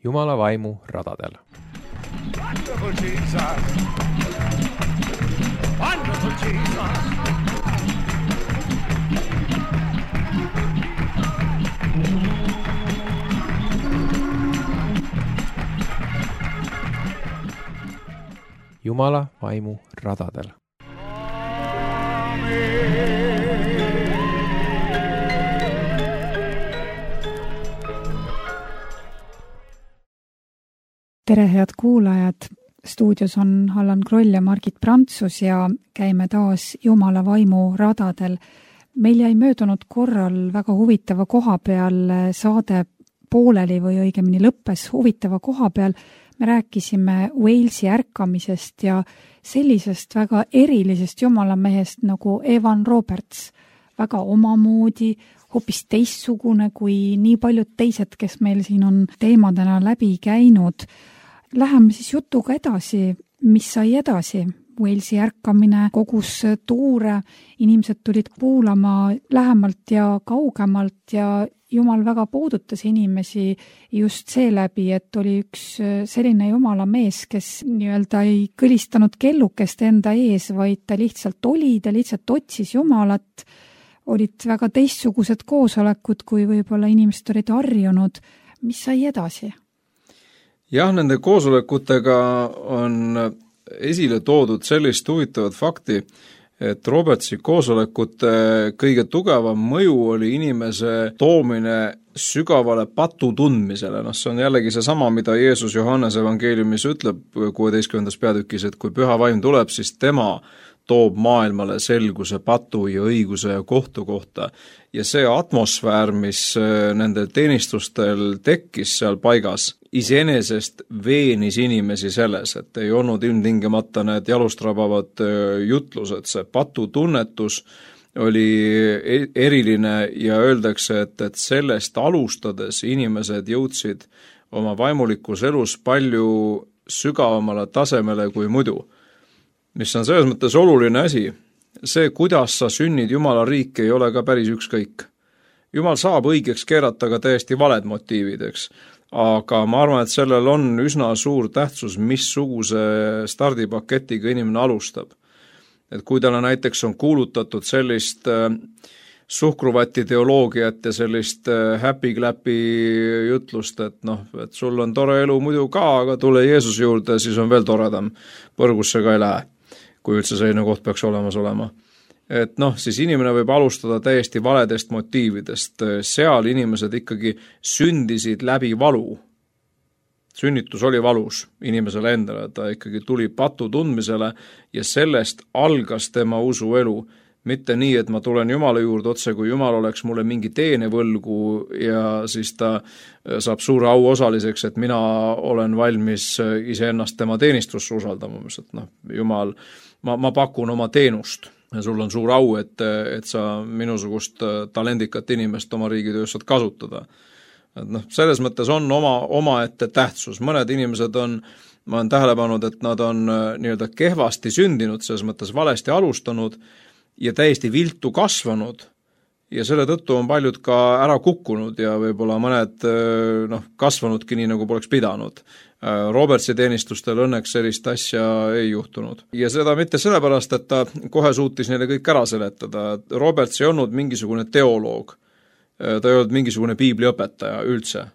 Jumala vaimu radadel. Wonderful Jesus. Wonderful Jesus. Jumala vaimu radadel. Tere, head kuulajad! Stuudios on Allan Kroll ja Margit Prantsus ja käime taas Jumala vaimu radadel. Meil jäi möödunud korral väga huvitava koha peal saade pooleli või õigemini lõppes huvitava koha peal. Me rääkisime Walesi ärkamisest ja sellisest väga erilisest jumalamehest nagu Evan Roberts. Väga omamoodi, hoopis teistsugune kui nii paljud teised, kes meil siin on teemadena läbi käinud. Läheme siis jutuga edasi, mis sai edasi. Walesi ärkamine kogus tuure, inimesed tulid kuulama lähemalt ja kaugemalt ja Jumal väga puudutas inimesi just seeläbi, et oli üks selline Jumala mees, kes nii-öelda ei kõlistanud kellukest enda ees, vaid ta lihtsalt oli, ta lihtsalt otsis Jumalat. Olid väga teistsugused koosolekud, kui võib-olla inimesed olid harjunud. Mis sai edasi? Jah, nende koosolekutega on esile toodud sellist huvitavat fakti, et Robertsi koosolekute kõige tugevam mõju oli inimese toomine sügavale patu tundmisele. See on jällegi seesama, mida Jeesus Johannes evangeeliumis ütleb 16. peatükis, et kui püha vaim tuleb, siis tema toob maailmale selguse patu ja õiguse ja kohtu kohta. Ja see atmosfäär, mis nendel teenistustel tekkis seal paigas, iseenesest veenis inimesi selles, et ei olnud ilmtingimata need jalustrabavad jutlused. See patutunnetus oli eriline ja öeldakse, et sellest alustades inimesed jõudsid oma vaimulikus elus palju sügavamale tasemele kui muidu. Mis on selles mõttes oluline asi. See, kuidas sa sünnid Jumala riiki, ei ole ka päris ükskõik. Jumal saab õigeks keerata ka täiesti valed motiivid, eks. Aga ma arvan, et sellel on üsna suur tähtsus, missuguse stardipaketiga inimene alustab. Et kui talle näiteks on kuulutatud sellist suhkruvati teoloogiat ja sellist happy-clappy jutlust, et sul on tore elu muidu ka, aga tule Jeesuse juurde, siis on veel toredam. Põrgusse ka ei lähe, kui üldse selline koht peaks olemas olema. Et siis inimene võib alustada täiesti valedest motiividest. Seal inimesed ikkagi sündisid läbi valu. Sünnitus oli valus inimesele endale, ta ikkagi tuli patu tundmisele ja sellest algas tema usuelu. Mitte nii, et ma tulen Jumala juurde otse, kui Jumal oleks mulle mingi teene võlgu ja siis ta saab suure au osaliseks, et mina olen valmis iseennast tema teenistusse usaldama. Jumal, ma pakun oma teenust ja sul on suur au, et sa minusugust talendikat inimest oma riigitöös saad kasutada. Selles mõttes on omaette tähtsus. Mõned inimesed ma olen tähele pannud, et nad on nii-öelda kehvasti sündinud, selles mõttes valesti alustanud ja täiesti viltu kasvanud ja selle tõttu on paljud ka ära kukkunud ja võib-olla mõned kasvanudki nii, nagu poleks pidanud. Robertsi teenistustel õnneks sellist asja ei juhtunud. Ja seda mitte sellepärast, et ta kohe suutis neile kõik ära seletada. Roberts ei olnud mingisugune teoloog. Ta ei olnud mingisugune piibliõpetaja üldse.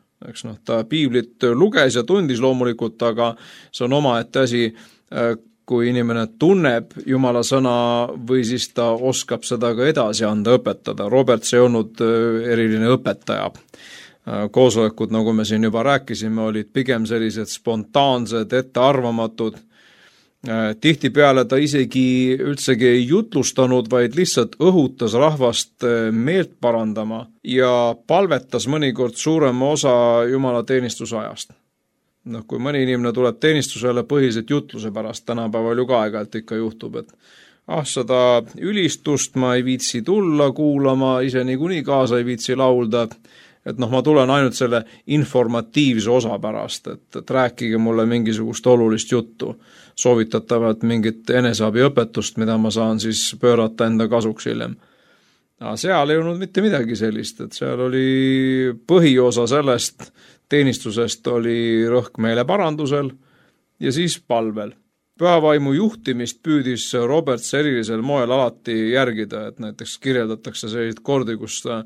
Ta piiblit luges ja tundis loomulikult, aga see on omaette asi, kui inimene tunneb Jumala sõna või siis ta oskab seda ka edasi anda, õpetada. Roberts ei olnud eriline õpetaja. Koosolekud, nagu me siin juba rääkisime, olid pigem sellised spontaansed, ettearvamatud. Tihtipeale ta isegi üldsegi ei jutlustanud, vaid lihtsalt õhutas rahvast meelt parandama ja palvetas mõnikord suurema osa Jumala teenistusajast. Kui mõni inimene tuleb teenistusele põhiliselt jutluse pärast, tänapäeval ju ka aeg-ajalt ikka juhtub, et seda ülistust ma ei viitsi tulla kuulama, ise niikuinii kaasa ei viitsi laulda, et ma tulen ainult selle informatiivse osa pärast, et rääkige mulle mingisugust olulist juttu, soovitatavalt mingit eneseabiõpetust, mida ma saan siis pöörata enda kasuks hiljem. Seal ei olnud mitte midagi sellist, et seal oli põhiosa sellest teenistusest oli rõhk meeleparandusel ja siis palvel. Pühavaimu juhtimist püüdis Roberts erilisel moel alati järgida, et näiteks kirjeldatakse selliseid kordi, kus ta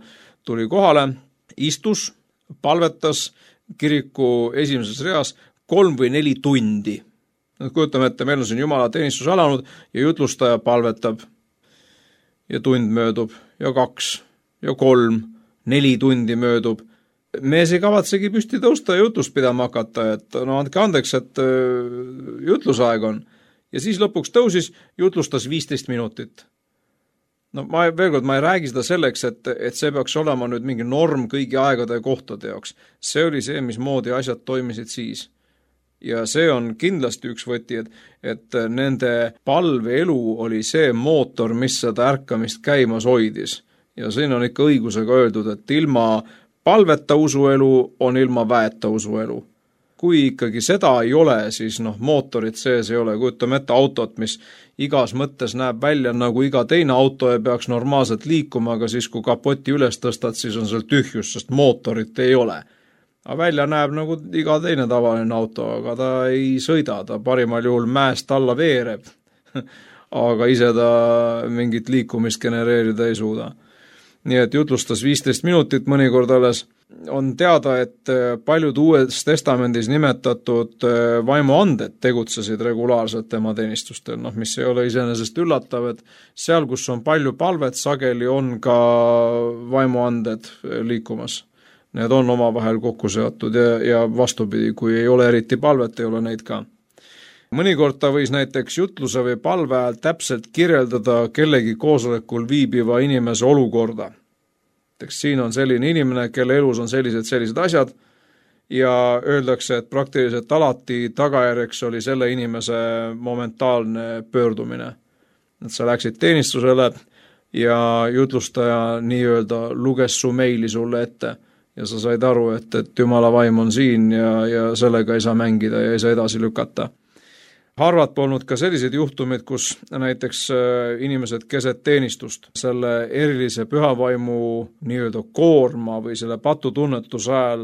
tuli kohale, istus, palvetas kiriku esimeses reas 3 või 4 tundi. Kujutame ette, meil on siin Jumala teenistus alanud ja jutlustaja palvetab ja tund möödub ja 2 ja 3, 4 tundi möödub. Mees ei kavatsegi püsti tõusta ja jutlust pidama hakata, et no andke andeks, et jutlusaeg on. Ja siis lõpuks tõusis, jutlustas 15 minutit. No ma ei räägi seda selleks, et see peaks olema nüüd mingi norm kõigi aegade ja kohtade jaoks. See oli see, mismoodi asjad toimisid siis. Ja see on kindlasti üks võti, et nende palveelu oli see mootor, mis seda ärkamist käimas hoidis. Ja siin on ikka õigusega öeldud, et ilma palveta usuelu on ilma väeta usuelu. Kui ikkagi seda ei ole, siis mootorit sees ei ole. Kujutame ette autot, mis igas mõttes näeb välja nagu iga teine auto ja peaks normaalselt liikuma, aga siis kui kapoti üles tõstad, siis on seal tühjus, sest mootorit ei ole. Aga välja näeb nagu iga teine tavaline auto, aga ta ei sõida, ta parimal juhul mäest alla veereb. Aga ise ta mingit liikumist genereerida ei suuda. Nii et jutlustas 15 minutit mõnikord alles. On teada, et paljud Uues Testamendis nimetatud vaimuanded tegutsesid regulaarselt tema teenistustel, mis ei ole iseenesest üllatav, et seal, kus on palju palvet, sageli on ka vaimuanded liikumas. Need on omavahel kokku seotud ja vastupidi, kui ei ole eriti palvet, ei ole neid ka. Mõnikord ta võis näiteks jutluse või palve ajal täpselt kirjeldada kellegi koosolekul viibiva inimese olukorda. Siin on selline inimene, kelle elus on sellised asjad ja öeldakse, et praktiliselt alati tagajärjeks oli selle inimese momentaalne pöördumine. Et sa läksid teenistusele ja jutlustaja nii-öelda luges su meili sulle ette ja sa said aru, et Jumala vaim on siin ja sellega ei saa mängida ja ei saa edasi lükata. Harvad polnud ka sellised juhtumid, kus näiteks inimesed keset teenistust selle erilise pühavaimu nii-öelda koorma või selle patutunnetuse ajal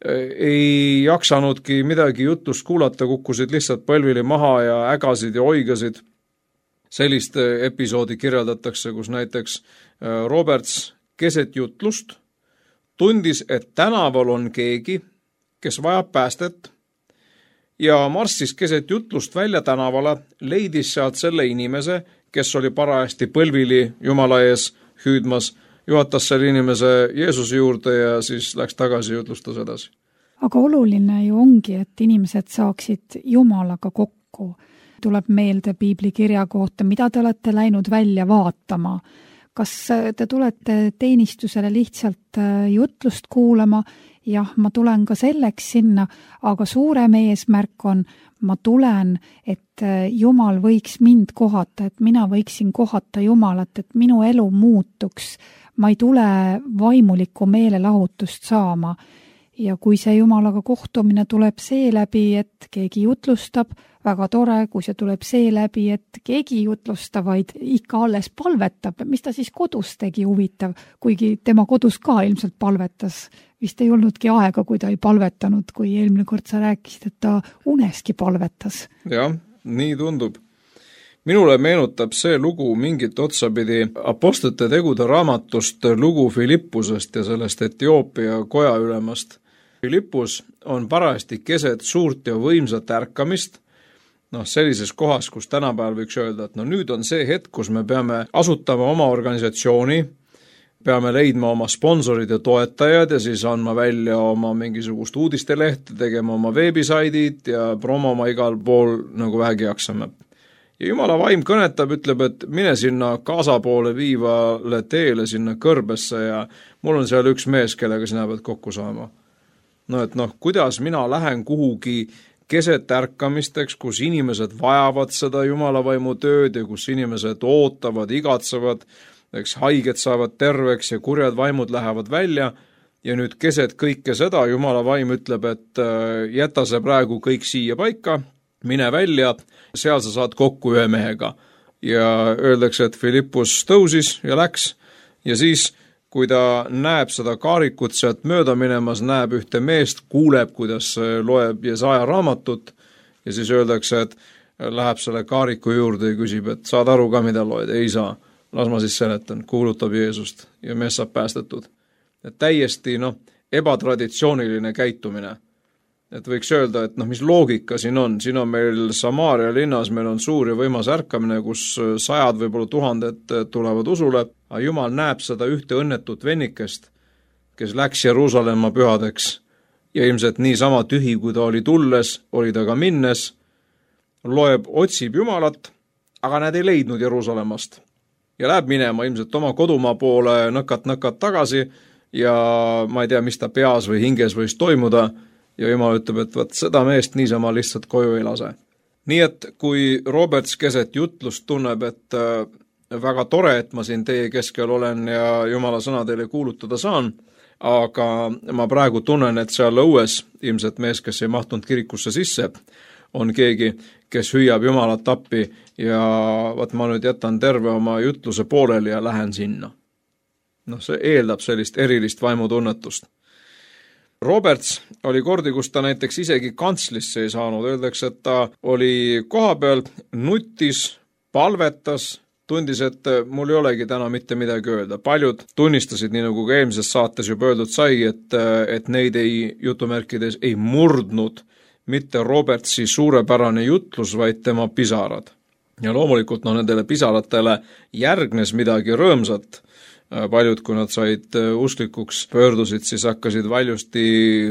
ei jaksanudki midagi jutust kuulata, kukkusid lihtsalt põlvili maha ja ägasid ja oigasid. Sellist episoodi kirjeldatakse, kus näiteks Roberts keset jutlust tundis, et tänaval on keegi, kes vajab päästet, ja marssis keset jutlust välja tänavale, leidis sealt selle inimese, kes oli parajasti põlvili Jumala ees hüüdmas, juhatas selle inimese Jeesuse juurde ja siis läks tagasi ja jutlustas edasi. Aga oluline ju ongi, et inimesed saaksid Jumalaga kokku. Tuleb meelde piibli kirja kohta, mida te olete läinud välja vaatama. Kas te tulete teenistusele lihtsalt jutlust kuulama? Jah, ma tulen ka selleks sinna, aga suurem eesmärk on, ma tulen, et Jumal võiks mind kohata, et mina võiksin kohata Jumalat, et minu elu muutuks. Ma ei tule vaimulikku meelelahutust saama. Ja kui see Jumalaga kohtumine tuleb see läbi, et keegi jutlustab, väga tore, kui see tuleb see läbi, et keegi jutlustab, vaid ikka alles palvetab, mis ta siis kodus tegi huvitav, kuigi tema kodus ka ilmselt palvetas. Vist ei olnudki aega, kui ta ei palvetanud, kui eelmine kord sa rääkisid, et ta uneski palvetas. Jah, nii tundub. Minule meenutab see lugu mingit otsapidi Apostlite tegude raamatust lugu Filippusest ja sellest Etioopia koja ülemast. Filippus on parajasti keset suurt ja võimsat ärkamist, sellises kohas, kus tänapäeval võiks öelda, et nüüd on see hetk, kus me peame asutama oma organisatsiooni, peame leidma oma sponsorid ja toetajad ja siis andma välja oma mingisugust uudistelehte, tegema oma veebisaidid ja promoma igal pool nagu vähegi jaksame. Ja Jumala vaim kõnetab, ütleb, et mine sinna Gaza poole viivale teele, sinna kõrbesse ja mul on seal üks mees, kellega sina pead kokku saama. Kuidas mina lähen kuhugi keset ärkamisteks, kus inimesed vajavad seda Jumala vaimu tööd ja kus inimesed ootavad, igatsevad, haiged saavad terveks ja kurjad vaimud lähevad välja ja nüüd keset kõike seda Jumala vaim ütleb, et jäta see praegu kõik siia paika, mine välja, seal sa saad kokku ühe mehega. Ja öeldakse, et Filippus tõusis ja läks ja siis kui ta näeb seda kaarikut sealt mööda minemas, näeb ühte meest, kuuleb, kuidas loeb Jesaja raamatut ja siis öeldakse, et läheb selle kaariku juurde ja küsib, et saad aru ka, mida loed? Ei saa. Las ma siis seletan, kuulutab Jeesust ja mees saab päästetud. Et täiesti ebatraditsiooniline käitumine. Et võiks öelda, et mis loogika siin on meil Samaaria linnas, meil on suur ja võimas ärkamine, kus 100, võib-olla 1000 tulevad usule, aga Jumal näeb seda ühte õnnetut vennikest, kes läks Jeruusalemma pühadeks ja ilmselt niisama tühi, kui ta oli tulles, oli ta ka minnes, loeb, otsib Jumalat, aga nad ei leidnud Jeruusalemmast. Ja läheb minema ilmselt oma kodumaa poole nõkat tagasi ja ma ei tea, mis ta peas või hinges võis toimuda ja Jumal ütleb, et võt seda meest niisama lihtsalt koju ei lase. Nii et kui Roberts keset jutlust tunneb, et väga tore, et ma siin teie keskel olen ja Jumala sõna teile kuulutada saan, aga ma praegu tunnen, et seal õues ilmselt mees, kes ei mahtunud kirikusse sisse, on keegi, kes hüüab Jumalat appi ja vaat ma nüüd jätan terve oma jutluse pooleli ja lähen sinna. See eeldab sellist erilist vaimutunnetust. Roberts oli kordi, kus ta näiteks isegi kantslisse ei saanud. Öeldakse, et ta oli koha peal, nutis, palvetas, tundis, et mul ei olegi täna mitte midagi öelda. Paljud tunnistasid, nii nagu ka eelmises saates juba öeldud sai, et neid jutumärkides ei murdnud mitte Robertsi suurepärane jutlus, vaid tema pisarad. Ja loomulikult nendele pisaratele järgnes midagi rõõmsat. Paljud, kui nad said usklikuks pöördusid, siis hakkasid valjusti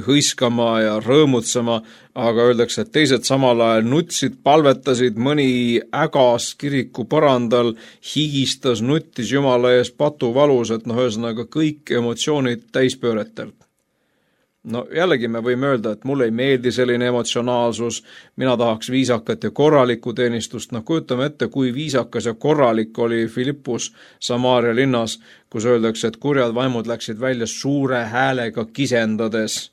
hõiskama ja rõõmutsema, aga öeldakse, et teised samal ajal nutsid, palvetasid, mõni ägas kiriku põrandal, higistas, nuttis Jumala ees patuvalus, et ühesõnaga kõik emotsioonid täispööretelt. Jällegi me võime öelda, et mulle ei meeldi selline emotsionaalsus, mina tahaks viisakat ja korralikku teenistust. Kujutame ette, kui viisakas ja korralik oli Filippus Samaaria linnas, kus öeldakse, et kurjad vaimud läksid välja suure häälega kisendades.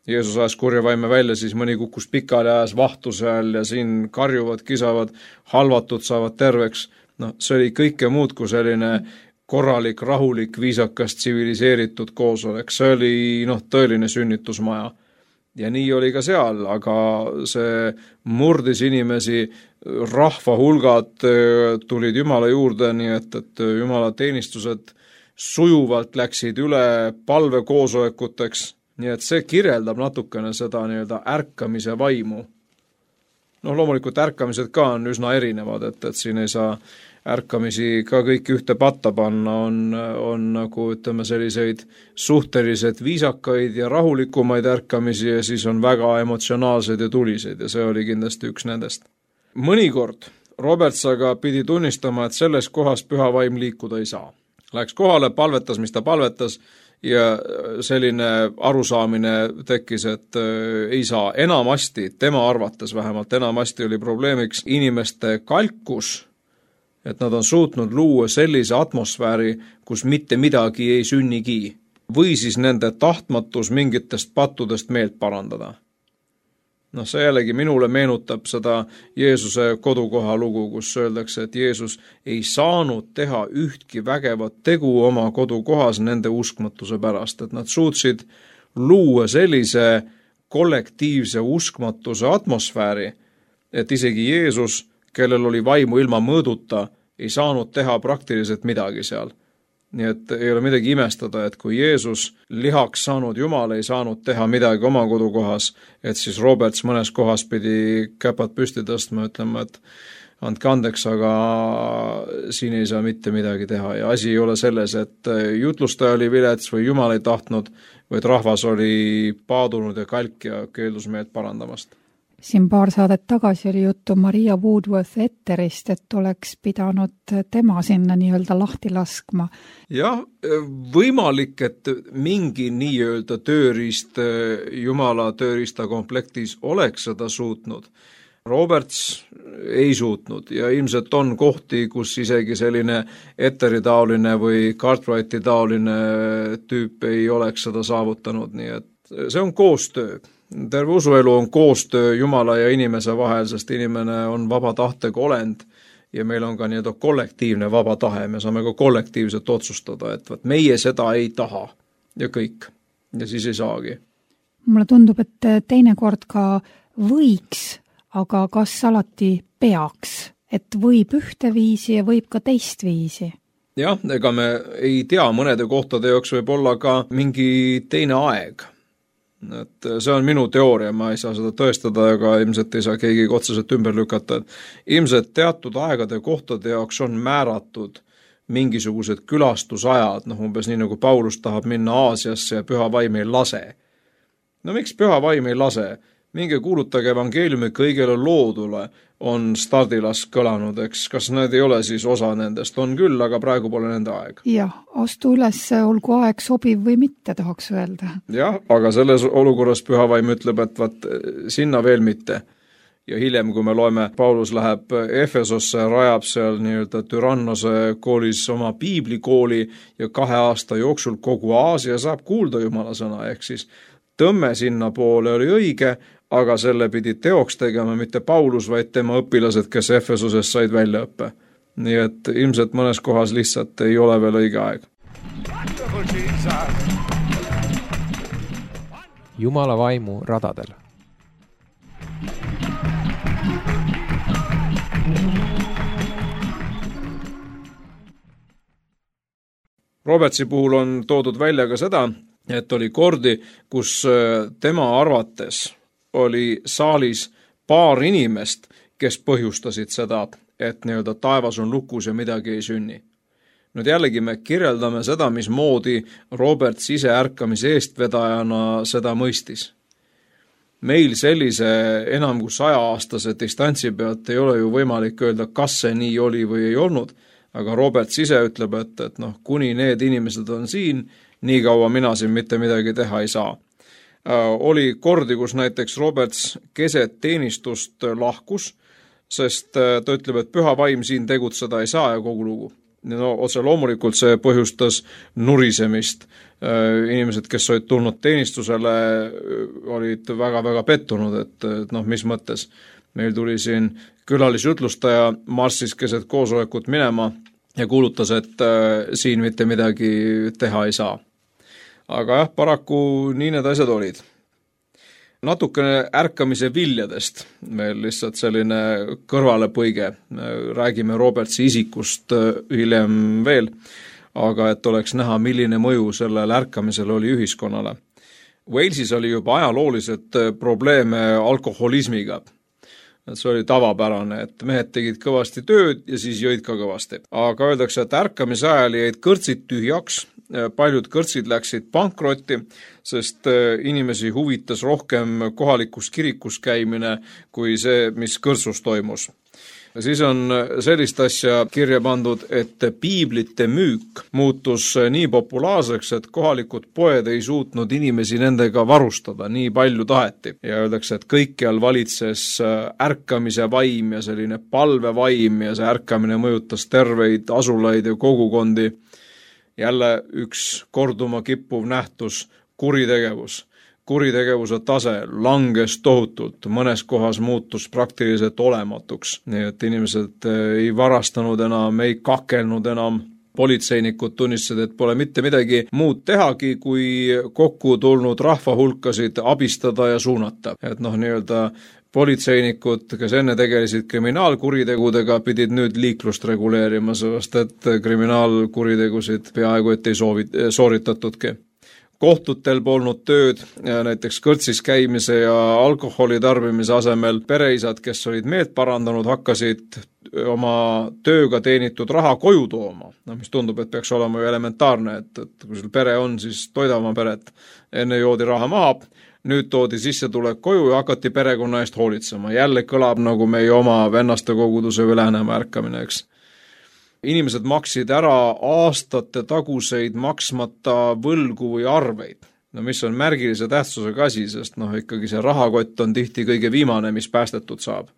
Jeesus ajas kurja vaime välja, siis mõni kukkus pikali ajas vahtuse all ja siin karjuvad, kisavad, halvatud saavad terveks. See oli kõike muud kui selline korralik, rahulik, viisakas, tsiviliseeritud koosolek. See oli tõeline sünnitusmaja. Ja nii oli ka seal, aga see murdis inimesi, rahva hulgad tulid Jumala juurde, nii et Jumala teenistused sujuvalt läksid üle palvekoosolekuteks. Nii et see kirjeldab natukene seda ärkamise vaimu. Loomulikult ärkamised ka on üsna erinevad, et siin ei saa ärkamisi ka kõik ühte patta panna, on nagu selliseid suhteliselt viisakaid ja rahulikumaid ärkamisi ja siis on väga emotsionaalseid ja tuliseid ja see oli kindlasti üks nendest. Mõnikord Roberts aga pidi tunnistama, et selles kohas püha vaim liikuda ei saa. Läks kohale, palvetas, mis ta palvetas ja selline arusaamine tekkis, et ei saa. Enamasti, tema arvates vähemalt, enamasti oli probleemiks inimeste kalkus, et nad on suutnud luua sellise atmosfääri, kus mitte midagi ei sünnigi, või siis nende tahtmatus mingitest pattudest meelt parandada. See jällegi minule meenutab seda Jeesuse kodukoha lugu, kus öeldakse, et Jeesus ei saanud teha ühtki vägevat tegu oma kodukohas nende uskmatuse pärast, et nad suutsid luua sellise kollektiivse uskmatuse atmosfääri, et isegi Jeesus, kellel oli vaimu ilma mõõduta, ei saanud teha praktiliselt midagi seal. Nii et ei ole midagi imestada, et kui Jeesus lihaks saanud Jumal ei saanud teha midagi oma kodukohas, et siis Roberts mõnes kohas pidi käpad püsti tõstma, ütlema, et andke andeks, aga siin ei saa mitte midagi teha. Ja asi ei ole selles, et jutlustaja oli vilets või Jumal ei tahtnud, vaid rahvas oli paadunud ja kalk ja keeldus meelt parandamast. Siin paar saadet tagasi oli juttu Maria Woodworth Etterist, et oleks pidanud tema sinna nii-öelda lahti laskma. Jah, võimalik, et mingi nii-öelda tööriist Jumala tööriista komplektis oleks seda suutnud. Roberts ei suutnud ja ilmselt on kohti, kus isegi selline Etteri-taoline või Cartwrighti-taoline tüüp ei oleks seda saavutanud, nii et see on koostöö. Terve usuelu on koostöö Jumala ja inimese vahel, sest inimene on vaba tahtega olend ja meil on ka nii-öelda kollektiivne vaba tahe, me saame ka kollektiivselt otsustada, et võt, meie seda ei taha ja kõik. Ja siis ei saagi. Mulle tundub, et teinekord ka võiks, aga kas alati peaks, et võib ühte viisi ja võib ka teist viisi? Jah, ega me ei tea, mõnede kohtade jaoks võib olla ka mingi teine aeg. Et see on minu teooria, ma ei saa seda tõestada, aga ilmselt ei saa keegi otseselt ümber lükata. Ilmselt teatud aegade kohtade jaoks on määratud mingisugused külastusajad, umbes nii nagu Paulus tahab minna Aasiasse ja püha vaim ei lase. No miks püha vaim ei lase? Minge kuulutage evangeeliumi kõigele loodule, on stardilas kõlanud, eks, kas need ei ole siis osa nendest? On küll, aga praegu pole nende aeg. Jah, astu üles, olgu aeg sobiv või mitte, tahaks öelda. Jah, aga selles olukorras püha vaim ütleb, et vaat sinna veel mitte. Ja hiljem, kui me loeme, Paulus läheb Efesosse, rajab seal nii-öelda Tyrannose koolis oma piiblikooli ja 2 aasta jooksul kogu Aasia saab kuulda Jumala sõna, ehk siis tõmme sinna poole oli õige, aga selle pidi teoks tegema mitte Paulus, vaid tema õpilased, kes Efesoses said väljaõppe. Nii et ilmselt mõnes kohas lihtsalt ei ole veel õige aeg. Jumala vaimu radadel. Robertsi puhul on toodud välja ka seda, et oli kordi, kus tema arvates oli saalis paar inimest, kes põhjustasid seda, et nii-öelda taevas on lukus ja midagi ei sünni. Nüüd jällegi me kirjeldame seda, mismoodi Roberts ise ärkamise eestvedajana seda mõistis. Meil sellise enam kui 100-aastase distantsi pealt ei ole ju võimalik öelda, kas see nii oli või ei olnud, aga Roberts ise ütleb, et kuni need inimesed on siin, nii kaua mina siin mitte midagi teha ei saa. Oli kordi, kus näiteks Roberts keset teenistust lahkus, sest ta ütleb, et püha vaim siin tegutseda ei saa ja kogu lugu. No, otse loomulikult see põhjustas nurisemist. Inimesed, kes olid tulnud teenistusele, olid väga-väga pettunud, et mis mõttes. Meil tuli siin külalisjutlustaja marssis keset koosolekut minema ja kuulutas, et siin mitte midagi teha ei saa. Aga jah, paraku nii need asjad olid. Natukene ärkamise viljadest, meil lihtsalt selline kõrvalepõige, räägime Robertsi isikust hiljem veel, aga et oleks näha, milline mõju sellel ärkamisel oli ühiskonnale. Walesis oli juba ajalooliselt probleeme alkoholismiga. See oli tavapärane, et mehed tegid kõvasti tööd ja siis jõid ka kõvasti. Aga öeldakse, et ärkamise ajal jäid kõrtsid tühjaks, paljud kõrtsid läksid pankrotti, sest inimesi huvitas rohkem kohalikus kirikus käimine kui see, mis kõrtsus toimus. Siis on sellist asja kirja pandud, et piiblite müük muutus nii populaarseks, et kohalikud poed ei suutnud inimesi nendega varustada, nii palju taheti. Ja öeldakse, et kõikjal valitses ärkamise vaim ja selline palvevaim ja see ärkamine mõjutas terveid asulaid ja kogukondi. Jälle üks korduma kippuv nähtus, kuritegevus. Kuritegevuse tase langes tohutult, mõnes kohas muutus praktiliselt olematuks, nii et inimesed ei varastanud enam, ei kakelnud enam, politseinikud tunnistasid, et pole mitte midagi muud tehagi, kui kokku tulnud rahvahulkasid abistada ja suunata. Et nii-öelda politseinikud, kes enne tegelesid kriminaalkuritegudega, pidid nüüd liiklust reguleerima, sest et kriminaalkuritegusid peaaegu et ei sooritatudki. Kohtutel polnud tööd, näiteks kõrtsis käimise ja alkoholi tarbimise asemel pereisad, kes olid meelt parandanud, hakkasid oma tööga teenitud raha koju tooma. Mis tundub, et peaks olema ju elementaarne, et kui sul pere on, siis toida oma peret. Enne joodi raha maha, nüüd toodi sissetulek koju ja hakati perekonna eest hoolitsema. Jälle kõlab nagu meie oma vennaste koguduse või Läänemaa ärkamine, eks. Inimesed maksid ära aastate taguseid maksmata võlgu või arveid. Mis on märgilise tähtsusega asi, sest ikkagi see rahakott on tihti kõige viimane, mis päästetud saab.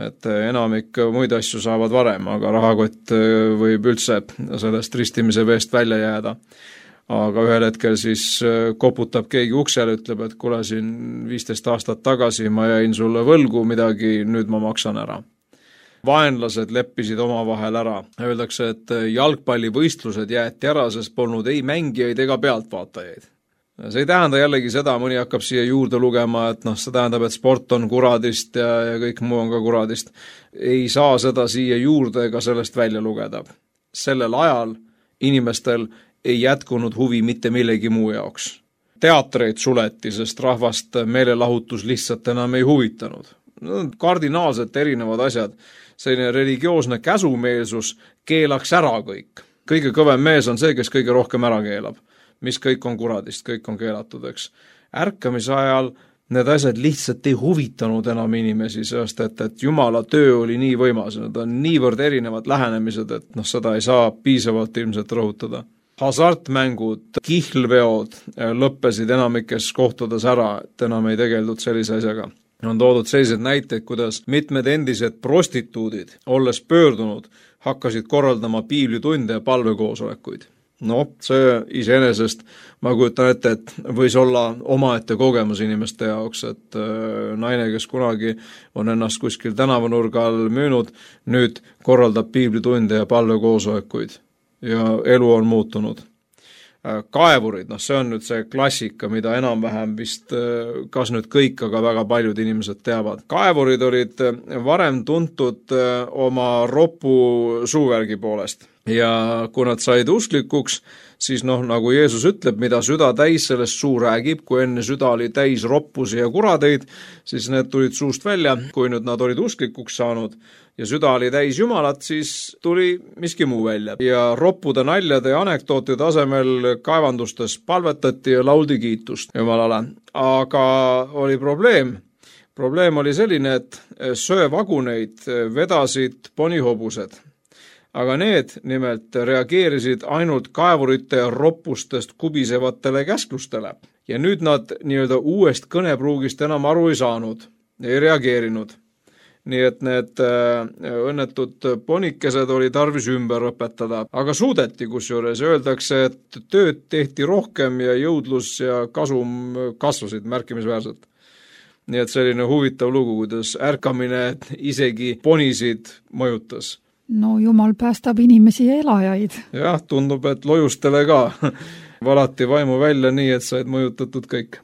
Et enamik muid asju saavad varem, aga rahakott võib üldse sellest ristimise veest välja jääda. Aga ühel hetkel siis koputab keegi uksele, ütleb, et kuule siin 15 aastat tagasi ma jäin sulle võlgu midagi, nüüd ma maksan ära. vaenlased leppisid omavahel ära. Öeldakse, et jalgpallivõistlused jäeti ära, sest polnud ei mängijaid ega pealtvaatajaid. See ei tähenda jällegi seda, mõni hakkab siia juurde lugema, et see tähendab, et sport on kuradist ja kõik muu on ka kuradist. Ei saa seda siia juurde ega sellest välja lugeda. Sellel ajal inimestel ei jätkunud huvi mitte millegi muu jaoks. Teatreid suleti, sest rahvast meelelahutus lihtsalt enam ei huvitanud. Kardinaalselt erinevad asjad. Selline religioosne käsumeelsus keelaks ära kõik. Kõige kõvem mees on see, kes kõige rohkem ära keelab. Mis kõik on kuradist, kõik on keelatud, eks. Ärkamise ajal need asjad lihtsalt ei huvitanud enam inimesi, sest et Jumala töö oli nii võimas. Need on niivõrd erinevad lähenemised, et seda ei saa piisavalt ilmselt rõhutada. Hasartmängud, kihlveod lõppesid enamikes kohtades ära, et enam ei tegeldud sellise asjaga. On toodud sellised näiteid, kuidas mitmed endised prostituudid, olles pöördunud, hakkasid korraldama piiblitunde ja palvekoosolekuid. See iseenesest, ma kujutan ette, et võis olla omaette kogemus inimeste jaoks, et naine, kes kunagi on ennast kuskil tänavanurgal müünud, nüüd korraldab piiblitunde ja palvekoosolekuid ja elu on muutunud. Kaevurid, see on nüüd see klassika, mida enam-vähem vist kas nüüd kõik, aga väga paljud inimesed teavad. Kaevurid olid varem tuntud oma ropu suuvärgi poolest. Ja kui nad said usklikuks, siis nagu Jeesus ütleb, mida süda täis, sellest suu räägib, kui enne süda oli täis roppusi ja kuradeid, siis need tulid suust välja, kui nüüd nad olid usklikuks saanud ja süda oli täis Jumalat, siis tuli miski muu välja. Ja roppude naljade ja anekdootide asemel kaevandustes palvetati ja lauldi kiitust Jumalale. Aga oli probleem. Probleem oli selline, et söevaguneid vedasid ponihobused. Aga need nimelt reageerisid ainult kaevurite ja roppustest kubisevatele käsklustele. Ja nüüd nad uuest kõnepruugist enam aru ei saanud, ei reageerinud. Nii et need õnnetud ponikesed oli tarvis ümber õpetada. Aga suudeti, kusjuures öeldakse, et tööd tehti rohkem ja jõudlus ja kasum kasvasid märkimisväärselt. Nii et selline huvitav lugu, kuidas ärkamine isegi ponisid mõjutas. Jumal päästab inimesi ja elajaid. Jah, tundub, et lojustele ka valati vaimu välja nii, et said mõjutatud kõik.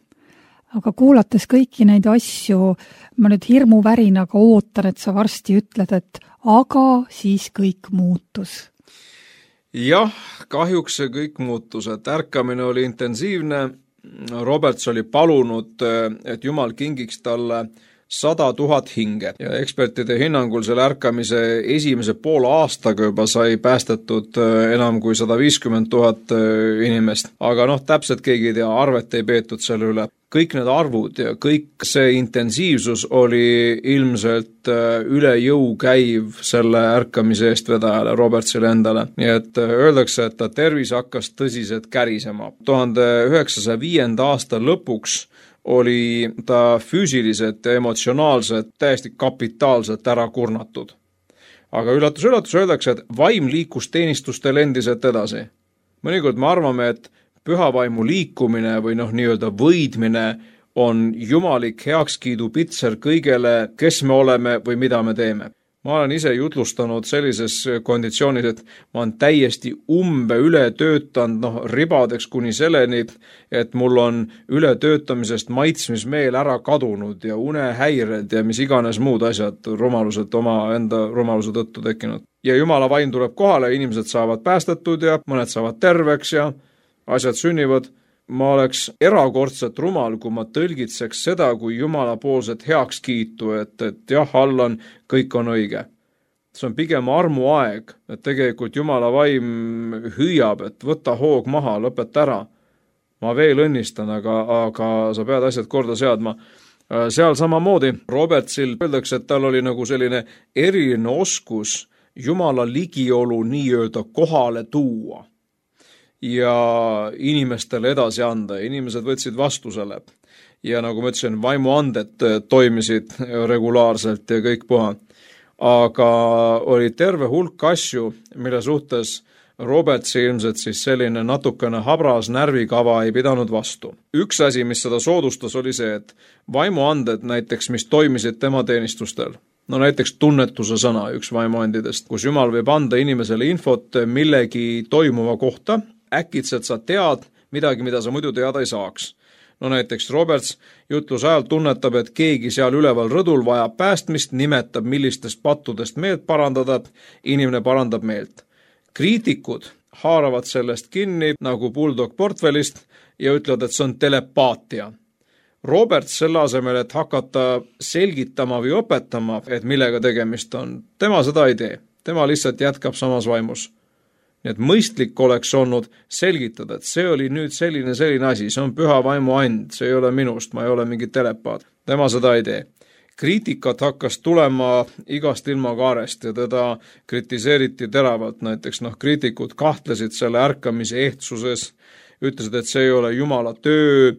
Aga kuulates kõiki neid asju, ma nüüd hirmuvärinaga ootan, et sa varsti ütled, et aga siis kõik muutus. Jah, kahjuks see kõik muutus, et ärkamine oli intensiivne. Roberts oli palunud, et Jumal kingiks talle 100 000 hinge ja ekspertide hinnangul selle ärkamise esimese poole aastaga juba sai päästetud enam kui 150 000 inimest. Aga täpselt keegi ei tea, arvet ei peetud selle üle. Kõik need arvud ja kõik see intensiivsus oli ilmselt üle jõu käiv selle ärkamise eestvedajale, Robertsile endale. Nii et öeldakse, et ta tervis hakkas tõsiselt kärisema. 1905. aasta lõpuks oli ta füüsiliselt ja emotsionaalselt täiesti kapitaalselt ära kurnatud. Aga üllatus, öeldakse, et vaim liikus teenistustel endiselt edasi. Mõnikord me arvame, et pühavaimu liikumine või nii-öelda võidmine on jumalik heakskiidu pitser kõigele, kes me oleme või mida me teeme. Ma olen ise jutlustanud sellises konditsioonis, et ma olen täiesti üle töötanud, ribadeks kuni selleni, et mul on ületöötamisest maitsmismeel ära kadunud ja unehäired ja mis iganes muud asjad rumalused oma enda rumaluse tõttu tekkinud. Ja Jumala vaim tuleb kohale, inimesed saavad päästetud ja mõned saavad terveks ja asjad sünnivad. Ma oleks erakordselt rumal, kui ma tõlgitseks seda kui Jumala poolset heakskiitu, et jah, Allan, kõik on õige. See on pigem armuaeg, et tegelikult Jumala vaim hüüab, et võta hoog maha, lõpeta ära. Ma veel õnnistan, aga sa pead asjad korda seadma. Seal samamoodi Robertsil öeldakse, et tal oli nagu selline eriline oskus Jumala ligiolu nii-öelda kohale tuua ja inimestele edasi anda. Inimesed võtsid vastu selle. Ja nagu ma ütlesin, vaimuanded toimisid regulaarselt ja kõik puha. Aga oli terve hulk asju, mille suhtes Robertsi ilmselt siis selline natukene habras närvikava ei pidanud vastu. Üks asi, mis seda soodustas, oli see, et vaimuanded näiteks, mis toimisid tema teenistustel, no näiteks tunnetuse sõna, üks vaimuandidest, kus Jumal võib anda inimesele infot millegi toimuva kohta, äkitselt sa tead midagi, mida sa muidu teada ei saaks. No näiteks Roberts jutluse ajal tunnetab, et keegi seal üleval rõdul vajab päästmist, nimetab, millistest pattudest meelt parandada, inimene parandab meelt. Kriitikud haaravad sellest kinni nagu bulldog portfellist ja ütlevad, et see on telepaatia. Roberts selle asemel, et hakata selgitama või õpetama, et millega tegemist on, tema seda ei tee. Tema lihtsalt jätkab samas vaimus. Nii et mõistlik oleks olnud selgitada, et see oli nüüd selline asi, see on püha vaimu and, see ei ole minust, ma ei ole mingi telepaat. Tema seda ei tee. Kriitikat hakkas tulema igast ilmakaarest ja teda kritiseeriti teravalt, näiteks kriitikud kahtlesid selle ärkamise ehtsuses, ütlesid, et see ei ole Jumala töö,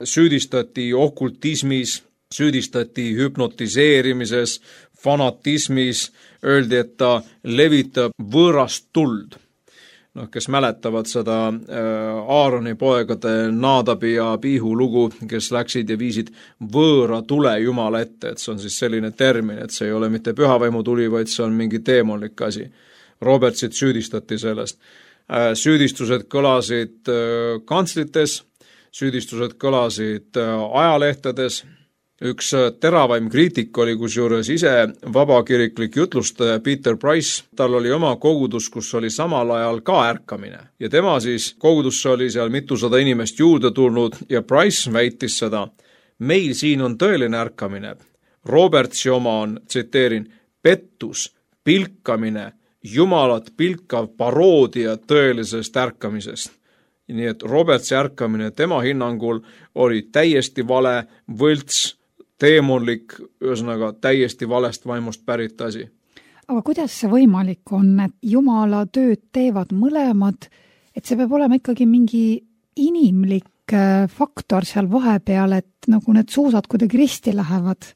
süüdistati okultismis, süüdistati hüpnotiseerimises, fanatismis, öeldi, et ta levitab võõrast tuld. Kes mäletavad seda Aaroni poegade Naadabi ja Abihu lugu, kes läksid ja viisid võõra tule Jumala ette, et see on siis selline termin, et see ei ole mitte pühavaimu tuli, vaid see on mingi teemonlik asi. Robertsit süüdistati sellest. Süüdistused kõlasid kantslites, süüdistused kõlasid ajalehtedes. Üks teravaim kriitik oli kusjuures ise vabakiriklik jutlustaja Peter Price. Tal oli oma kogudus, kus oli samal ajal ka ärkamine. Ja tema siis kogudusse oli seal mitusada inimest juurde tulnud ja Price väitis seda. Meil siin on tõeline ärkamine. Robertsi oma on, tsiteerin, pettus, pilkamine, Jumalat pilkav paroodia tõelisest ärkamisest. Nii et Robertsi ärkamine tema hinnangul oli täiesti vale, võlts, teemonlik, ühesõnaga täiesti valest vaimust pärit asi. Aga kuidas see võimalik on, et Jumala tööd teevad mõlemad, et see peab olema ikkagi mingi inimlik faktor seal vahepeal, et nagu need suusad kuidagi risti lähevad?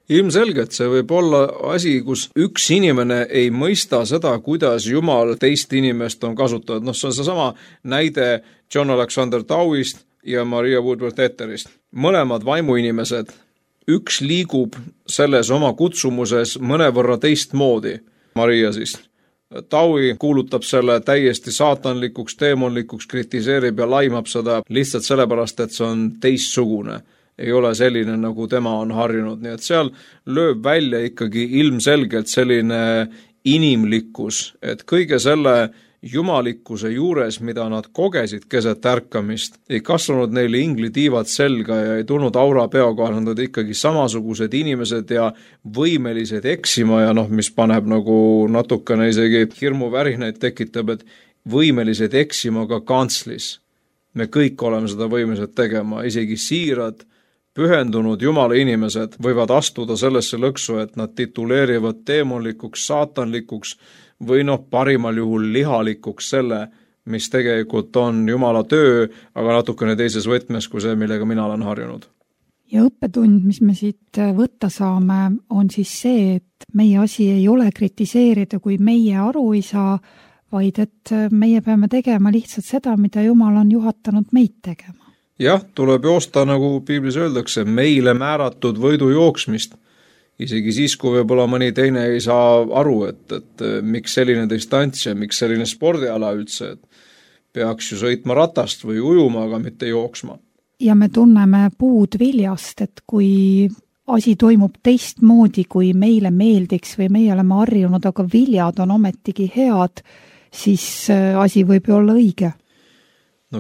Ilmselgelt see võib olla asi, kus üks inimene ei mõista seda, kuidas Jumal teist inimest on kasutatud. See on seesama näide John Alexander Dowist ja Maria Woodworth Etterist. Mõlemad vaimuinimesed, üks liigub selles oma kutsumuses mõnevõrra teistmoodi. Maria siis. Dowi kuulutab selle täiesti saatanlikuks, teemonlikuks, kritiseerib ja laimab seda lihtsalt sellepärast, et see on teistsugune. Ei ole selline, nagu tema on harjunud. Nii et seal lööb välja ikkagi ilmselgelt selline inimlikkus, et kõige selle jumalikkuse juures, mida nad kogesid keset ärkamist, ei kasvanud neile inglitiivad selga ja ei tulnud aura peoga, nad olid ikkagi samasugused inimesed ja võimelised eksima ja mis paneb nagu natukene isegi hirmuvärinaid tekitab, et võimelised eksima ka kantslis. Me kõik oleme seda võimelised tegema, isegi siirad, pühendunud Jumala inimesed võivad astuda sellesse lõksu, et nad tituleerivad teemonlikuks, saatanlikuks või parimal juhul lihalikuks selle, mis tegelikult on Jumala töö, aga natukene teises võtmes kui see, millega mina olen harjunud. Ja õppetund, mis me siit võtta saame, on siis see, et meie asi ei ole kritiseerida, kui meie aru ei saa, vaid et meie peame tegema lihtsalt seda, mida Jumal on juhatanud meid tegema. Jah, tuleb joosta, nagu piiblis öeldakse, meile määratud võidu jooksmist. Isegi siis, kui võib-olla mõni teine ei saa aru, et miks selline distants ja miks selline spordiala üldse, et peaks ju sõitma ratast või ujuma, aga mitte jooksma. Ja me tunneme puud viljast, et kui asi toimub teistmoodi, kui meile meeldiks või meie oleme harjunud, aga viljad on ometigi head, siis asi võib ju olla õige.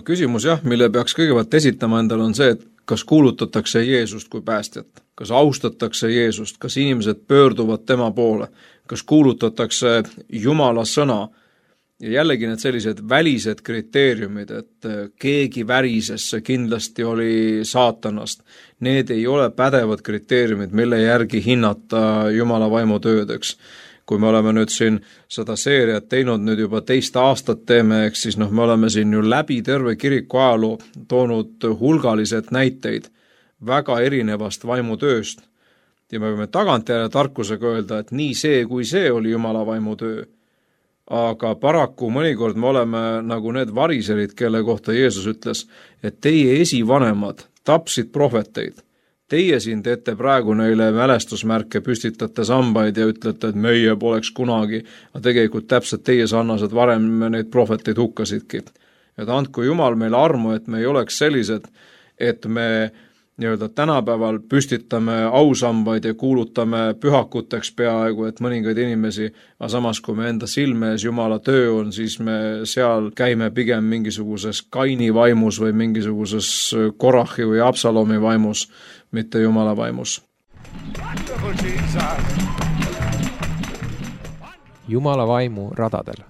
Küsimus jah, mille peaks kõigepealt esitama endale on see, et kas kuulutatakse Jeesust kui päästjat, kas austatakse Jeesust, kas inimesed pöörduvad tema poole, kas kuulutatakse Jumala sõna ja jällegi need sellised välised kriteeriumid, et keegi värises, see kindlasti oli saatanast. Need ei ole pädevad kriteeriumid, mille järgi hinnata Jumala vaimu töödeks. Kui me oleme nüüd siin seda seeriat teinud nüüd juba teist aastat teeme, eks siis me oleme siin ju läbi terve kiriku ajaloo toonud hulgalised näiteid väga erinevast vaimutööst. Ja me võime tagantjärele tarkusega öelda, et nii see kui see oli Jumala vaimutöö. Aga paraku mõnikord me oleme nagu need variserid, kelle kohta Jeesus ütles, et teie esivanemad tapsid prohveteid. teie siin teete praegu neile mälestusmärke, püstitate sambaid ja ütlete, et meie poleks kunagi, aga tegelikult täpselt teie sarnased varem neid prohveteid hukkasidki. Et andku Jumal meile armu, et me ei oleks sellised, et me nii-öelda tänapäeval püstitame ausambaid ja kuulutame pühakuteks peaaegu, et mõningaid inimesi, aga samas kui me enda silme ees Jumala töö on, siis me seal käime pigem mingisuguses Kaini vaimus või mingisuguses Korahi või Absalomi vaimus, mitte Jumala vaimus. Jumala vaimu radadel.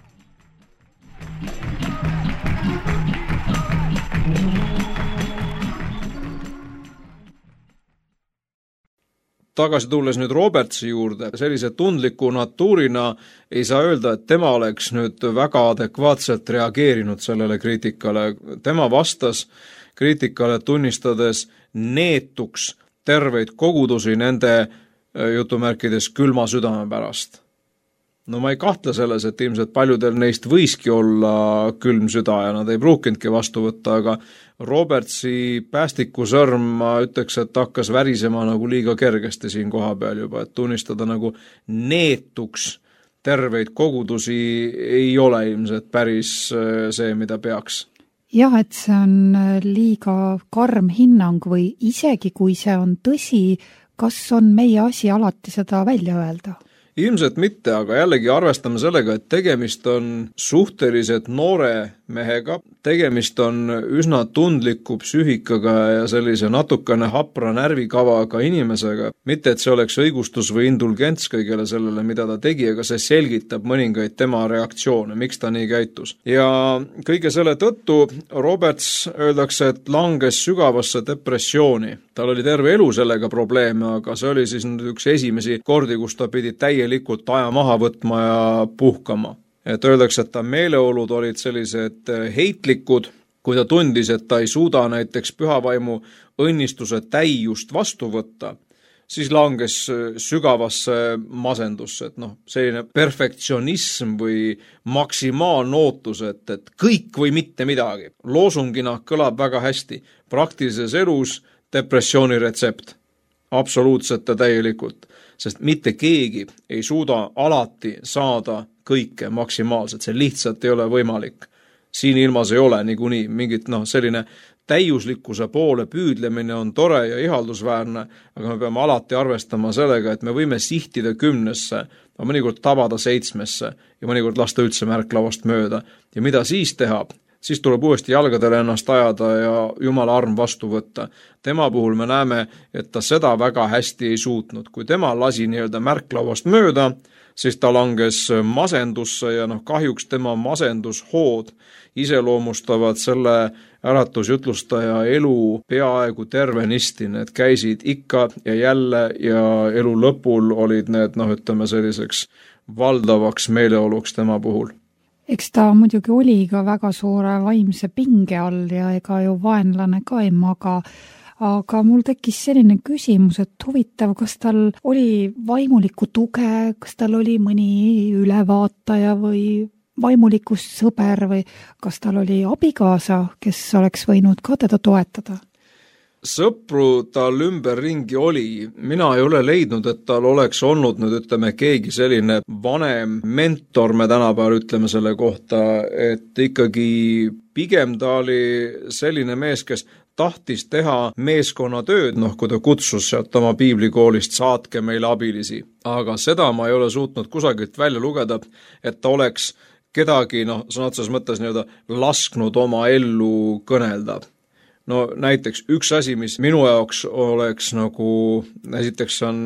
Tagasi tulles nüüd Robertsi juurde, sellise tundliku natuurina ei saa öelda, et tema oleks nüüd väga adekvaatselt reageerinud sellele kriitikale. Tema vastas kriitikale tunnistades neetuks terveid kogudusi nende jutumärkides külma südame pärast. No ma ei kahtle selles, et ilmselt paljudel neist võiski olla külm süda ja nad ei pruukinudki vastu võtta, aga Robertsi päästikusõrm, ma ütleks, et hakkas värisema nagu liiga kergesti siin koha peal juba, et tunnistada nagu neetuks terveid kogudusi ei ole ilmselt päris see, mida peaks. Jah, et see on liiga karm hinnang või isegi kui see on tõsi, kas on meie asi alati seda välja öelda? Ilmselt mitte, aga jällegi arvestame sellega, et tegemist on suhteliselt noore mehega, tegemist on üsna tundliku psüühikaga ja sellise natukene hapra närvikavaga inimesega. Mitte, et see oleks õigustus või indulgents kõigele sellele, mida ta tegi, aga see selgitab mõningaid tema reaktsioone, miks ta nii käitus. Ja kõige selle tõttu Roberts öeldakse, et langes sügavasse depressiooni. Tal oli terve elu sellega probleeme, aga see oli siis üks esimesi kordi, kus ta pidi täielikult aja maha võtma ja puhkama. Et öeldakse, et ta meeleolud olid sellised heitlikud, kui ta tundis, et ta ei suuda näiteks pühavaimu õnnistuse täiust vastu võtta, siis langes sügavasse masendusse, et selline perfektsionism või maksimaalne ootus, et kõik või mitte midagi. Loosungina kõlab väga hästi. Praktilises elus depressiooni retsept. Absoluutselt ja täielikult. Sest mitte keegi ei suuda alati saada kõike maksimaalselt. See lihtsalt ei ole võimalik. Siin ilmas ei ole niikuinii mingit selline täiuslikkuse poole püüdlemine on tore ja ihaldusväärne, aga me peame alati arvestama sellega, et me võime sihtida 10, mõnikord tabada 7 ja mõnikord lasta üldse märklavast mööda. Ja mida siis teha? Siis tuleb uuesti jalgadele ennast ajada ja Jumala arm vastu võtta. Tema puhul me näeme, et ta seda väga hästi ei suutnud. Kui tema lasi märklavast mööda, siis ta langes masendusse ja kahjuks tema masendushood iseloomustavad selle äratusjutlustaja elu peaaegu tervenisti. Need käisid ikka ja jälle ja elu lõpul olid need, selliseks valdavaks meeleoluks tema puhul. Eks ta muidugi oli ka väga suure vaimse pinge all ja ega ju vaenlane ka ei maga. Aga mul tekkis selline küsimus, et huvitav, kas tal oli vaimulikku tuge, kas tal oli mõni ülevaataja või vaimulikust sõber või kas tal oli abikaasa, kes oleks võinud ka teda toetada? Sõpru tal ümberringi oli. Mina ei ole leidnud, et tal oleks olnud keegi selline vanem mentor, me tänapäeval ütleme selle kohta, et ikkagi pigem ta oli selline mees, kes tahtis teha meeskonnatööd, kui ta kutsus sealt oma piiblikoolist, saatke meile abilisi. Aga seda ma ei ole suutnud kusagilt välja lugeda, et ta oleks kedagi, sõna otseses mõttes lasknud oma ellu kõnelda. Näiteks üks asi, mis minu jaoks oleks esiteks on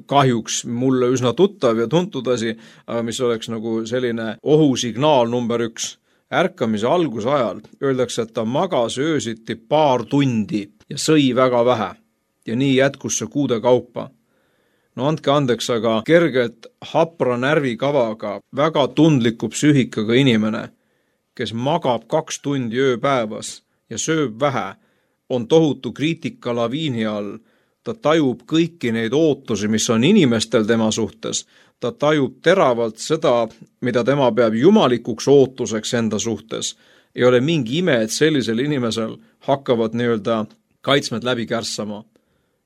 kahjuks mulle üsna tuttav ja tuntud asi, aga mis oleks selline ohusignaal number 1. Ärkamise algusajal öeldakse, et ta magas öösiti 2 tundi ja sõi väga vähe ja nii jätkus see kuude kaupa. Andke andeks, aga kergelt hapra närvikavaga, väga tundliku psüühikaga inimene, kes magab 2 tundi ööpäevas ja sööb vähe, on tohutu kriitika laviini all. Ta tajub kõiki neid ootusi, mis on inimestel tema suhtes. Ta tajub teravalt seda, mida tema peab jumalikuks ootuseks enda suhtes. Ei ole mingi ime, et sellisel inimesel hakkavad kaitsmed läbi kärssama.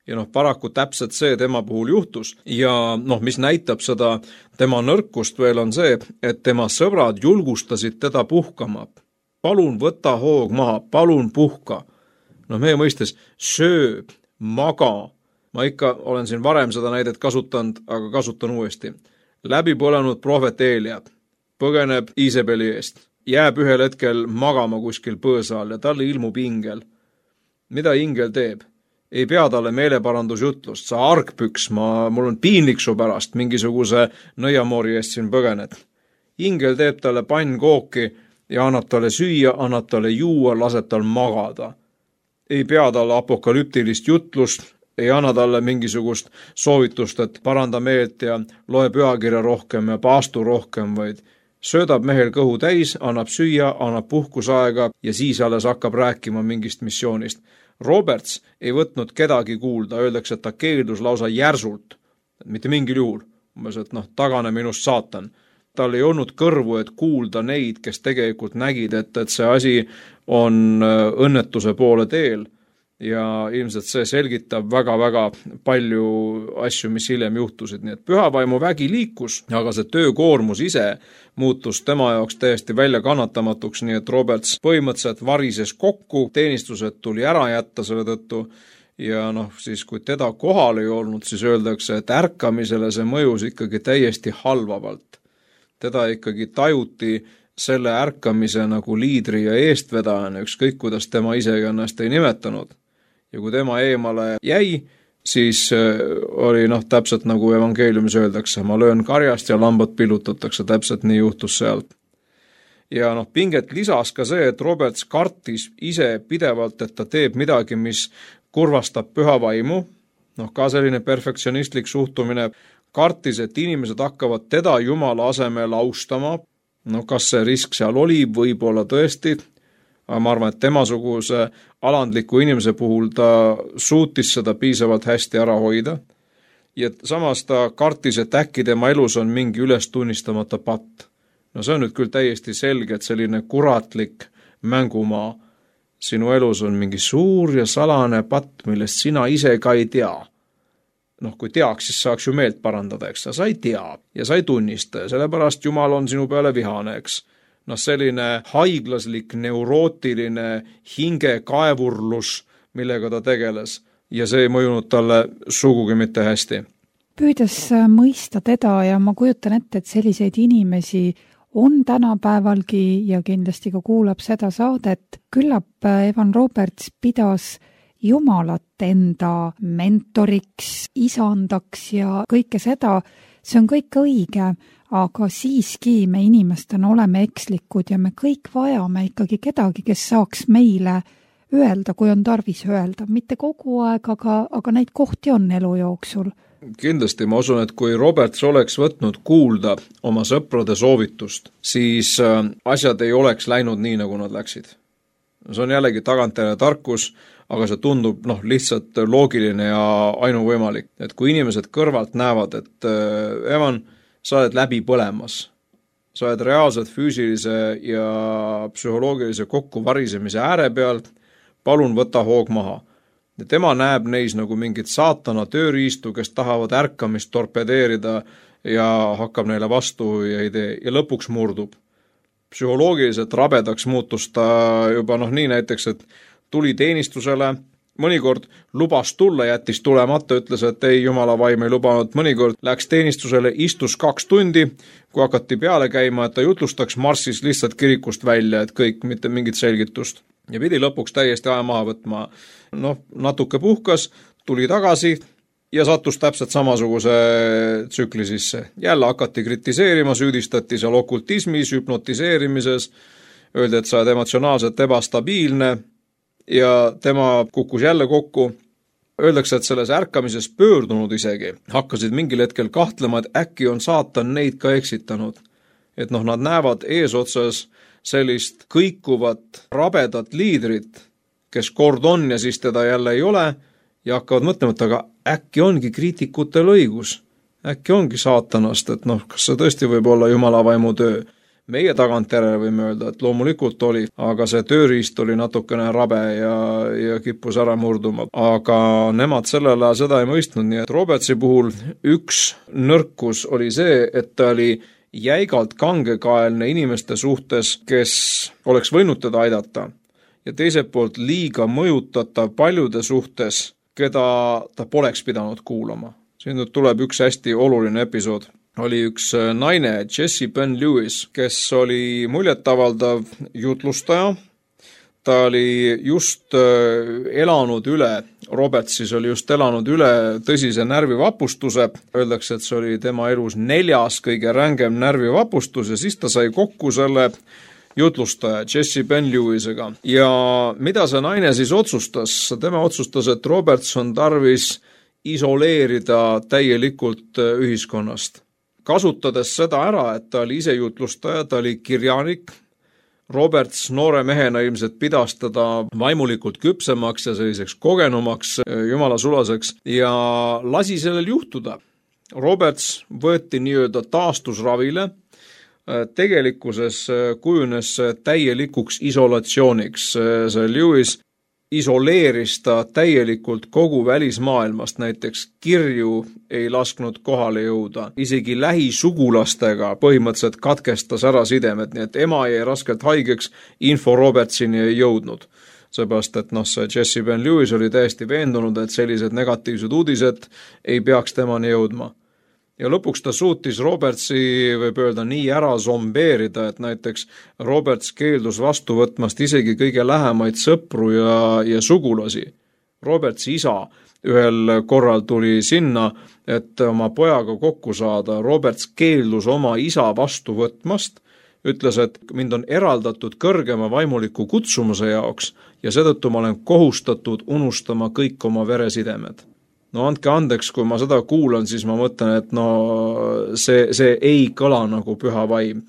ja noh, paraku täpselt see tema puhul juhtus ja noh, mis näitab seda tema nõrkust veel on see, et tema sõbrad julgustasid teda puhkama. Palun võta hoog maha, palun puhka. Noh, meie mõistes söö, maga. Ma ikka olen siin varem seda näidet kasutanud, aga kasutan uuesti. Läbi põlenud prohvet Eelia põgeneb Iisabeli eest, jääb ühel hetkel magama kuskil põõsal ja talle ilmub ingel. Mida ingel teeb? Ei pea talle meeleparandusjutlust, sa argpüks, mul on piinlik su pärast, mingisuguse nõiamoori eest siin põgened. Ingel teeb talle pannkooki ja annab talle süüa, annab talle juua, laseb tal magada. Ei pea talle apokalüptilist jutlust, ei anna talle mingisugust soovitust, et paranda meelt ja loe pühakirja rohkem ja paastu rohkem, vaid söödab mehel kõhu täis, annab süüa, annab puhkusaega ja siis alles hakkab rääkima mingist missioonist. Roberts ei võtnud kedagi kuulda, öeldakse, et ta keeldus lausa järsult, mitte mingil juhul, et tagane minust saatan. Tal ei olnud kõrvu, et kuulda neid, kes tegelikult nägid, et see asi on õnnetuse poole teel ja ilmselt see selgitab väga-väga palju asju, mis hiljem juhtusid. Nii et pühavaimu vägi liikus, aga see töökoormus ise muutus tema jaoks täiesti välja kannatamatuks, nii et Roberts põhimõtteliselt varises kokku, teenistused tuli ära jätta selle tõttu ja siis kui teda kohal ei olnud, siis öeldakse, et ärkamisele see mõjus ikkagi täiesti halvavalt. Teda ikkagi tajuti selle ärkamise nagu liidri ja eestvedajana, ükskõik kuidas tema ise ennast ei nimetanud. Ja kui tema eemale jäi, siis oli täpselt nagu evangeeliumis öeldakse, ma löön karjast ja lambad pillutatakse, täpselt nii juhtus sealt. Ja pinget lisas ka see, et Roberts kartis ise pidevalt, et ta teeb midagi, mis kurvastab püha vaimu, ka selline perfektsionistlik suhtumine, kartis, et inimesed hakkavad teda Jumala asemel austama, kas see risk seal oli, võib-olla tõesti, aga ma arvan, et temasuguse alandliku inimese puhul ta suutis seda piisavalt hästi ära hoida ja samas ta kartis, et äkki tema elus on mingi üles tunnistamata patt. See on nüüd küll täiesti selge, et selline kuratlik mängumaa. Sinu elus on mingi suur ja salane patt, millest sina ise ka ei tea. Kui teaks, siis saaks ju meelt parandada, eks sa ei tea ja sa ei tunnista ja sellepärast Jumal on sinu peale vihane, eks. Selline haiglaslik, neurootiline hingekaevurlus, millega ta tegeles ja see ei mõjunud talle sugugi mitte hästi. Püüdes mõista teda ja ma kujutan ette, et selliseid inimesi on tänapäevalgi ja kindlasti ka kuulab seda saadet, küllap Evan Roberts pidas Jumalat enda mentoriks, isandaks ja kõike seda, see on kõik õige, aga siiski me inimestena oleme ekslikud ja me kõik vajame ikkagi kedagi, kes saaks meile öelda, kui on tarvis öelda. Mitte kogu aeg, aga neid kohti on elu jooksul. Kindlasti ma usun, et kui Roberts oleks võtnud kuulda oma sõprade soovitust, siis asjad ei oleks läinud nii, nagu nad läksid. See on jällegi tagantjärele tarkus, aga see tundub lihtsalt loogiline ja ainuvõimalik. Et kui inimesed kõrvalt näevad, et Evan, sa oled läbi põlemas, sa oled reaalselt füüsilise ja psühholoogilise kokkuvarisemise ääre peal, palun võta hoog maha. Ja tema näeb neis nagu mingit saatana tööriistu, kes tahavad ärkamist torpedeerida ja hakkab neile vastu ja ei tee ja lõpuks murdub. Psühholoogiliselt rabedaks muutus ta juba nii näiteks, et tuli teenistusele, mõnikord lubas tulla, jättis tulemata, ütles, et ei, Jumala vaim ei lubanud, mõnikord läks teenistusele, istus 2 tundi, kui hakati peale käima, et ta jutlustaks, marssis lihtsalt kirikust välja, et kõik, mitte mingit selgitust. Ja pidi lõpuks täiesti aja maha võtma. Natuke puhkas, tuli tagasi ja sattus täpselt samasuguse tsükli sisse. Jälle hakati kritiseerima, süüdistati seal okultismis, hüpnotiseerimises, öeldi, et sa oled emotsionaalselt ebastabiilne ja tema kukkus jälle kokku. Öeldakse, et selles ärkamises pöördunud isegi hakkasid mingil hetkel kahtlema, et äkki on saatan neid ka eksitanud. Et nad näevad eesotsas sellist kõikuvat rabedat liidrit, kes kord on ja siis teda jälle ei ole ja hakkavad mõtlema, et aga äkki ongi kriitikutel õigus, äkki ongi saatanast, et kas see tõesti võib olla Jumala vaimu töö. meie tagantjärele võime öelda, et loomulikult oli, aga see tööriist oli natukene rabe ja kippus ära murduma. Aga nemad sellel ajal seda ei mõistnud, nii et Robertsi puhul üks nõrkus oli see, et ta oli jäigalt kangekaelne inimeste suhtes, kes oleks võinud teda aidata. Ja teiselt poolt liiga mõjutatav paljude suhtes, keda ta poleks pidanud kuulama. Siin nüüd tuleb üks hästi oluline episood. Oli üks naine, Jessie Ben Lewis, kes oli muljetavaldav jutlustaja. Ta oli just elanud üle, Robertsis oli just elanud üle tõsise närvivapustuse. Öeldakse, et see oli tema elus 4. kõige rängem närvivapustus ja siis ta sai kokku selle jutlustaja Jessie Ben Lewisega. Ja mida see naine siis otsustas? Tema otsustas, et Roberts on tarvis isoleerida täielikult ühiskonnast. Kasutades seda ära, et ta oli ise jutlustaja, ta oli kirjanik, Roberts noore mehena ilmselt pidas teda vaimulikult küpsemaks ja selliseks kogenumaks, jumala sulaseks ja lasi sellel juhtuda. Roberts võeti nii-öelda taastusravile, tegelikkuses kujunes täielikuks isolatsiooniks. See Lewis isoleeris ta täielikult kogu välismaailmast, näiteks kirju ei lasknud kohale jõuda, isegi lähisugulastega põhimõtteliselt katkestas ära sidemed, nii et ema jäi raskelt haigeks, info Robertsini ei jõudnud. Seepärast, et see Jessie Ben Lewis oli täiesti veendunud, et sellised negatiivsed uudised ei peaks temani jõudma. Ja lõpuks ta suutis Robertsi, võib öelda, nii ära zombeerida, et näiteks Roberts keeldus vastu võtmast isegi kõige lähemaid sõpru ja sugulasi. Robertsi isa ühel korral tuli sinna, et oma pojaga kokku saada. Roberts keeldus oma isa vastu võtmast, ütles, et mind on eraldatud kõrgema vaimuliku kutsumuse jaoks ja seetõttu ma olen kohustatud unustama kõik oma veresidemed. No andke andeks, kui ma seda kuulan, siis ma mõtlen, et see ei kõla nagu püha vaim.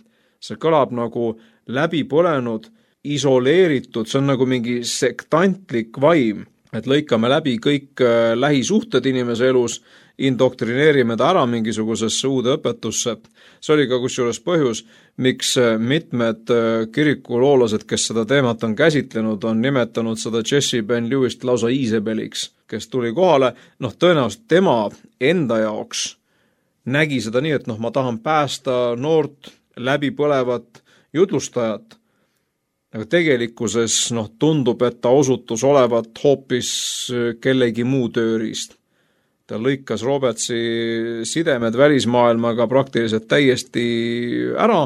See kõlab nagu läbipõlenud, isoleeritud, see on nagu mingi sektantlik vaim, et lõikame läbi kõik lähisuhted inimese elus, indoktrineerime ta ära mingisugusesse uude õpetusse. See oli ka kusjuures põhjus, miks mitmed kirikuloolased, kes seda teemat on käsitlenud, on nimetanud seda Jessie Ben Lewist lausa Iisabeliks, kes tuli kohale, tõenäoliselt tema enda jaoks nägi seda nii, et ma tahan päästa noort läbipõlevat jutlustajat, aga tegelikkuses tundub, et ta osutus olevat hoopis kellegi muu tööriist. Ta lõikas Robertsi sidemed välismaailmaga praktiliselt täiesti ära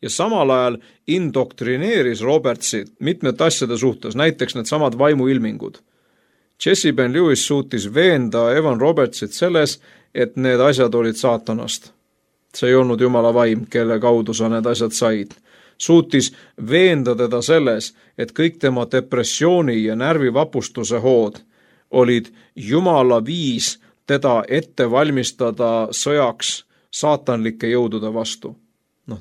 ja samal ajal indoktrineeris Robertsi mitmete asjade suhtes, näiteks need samad vaimuilmingud. Jessie Ben Lewis suutis veenda Evan Robertsit selles, et need asjad olid saatanast. See ei olnud jumala vaim, kelle kaudu sa need asjad said. Suutis veenda teda selles, et kõik tema depressiooni ja närvivapustuse hood olid jumala viis teda ette valmistada sõjaks saatanlike jõudude vastu.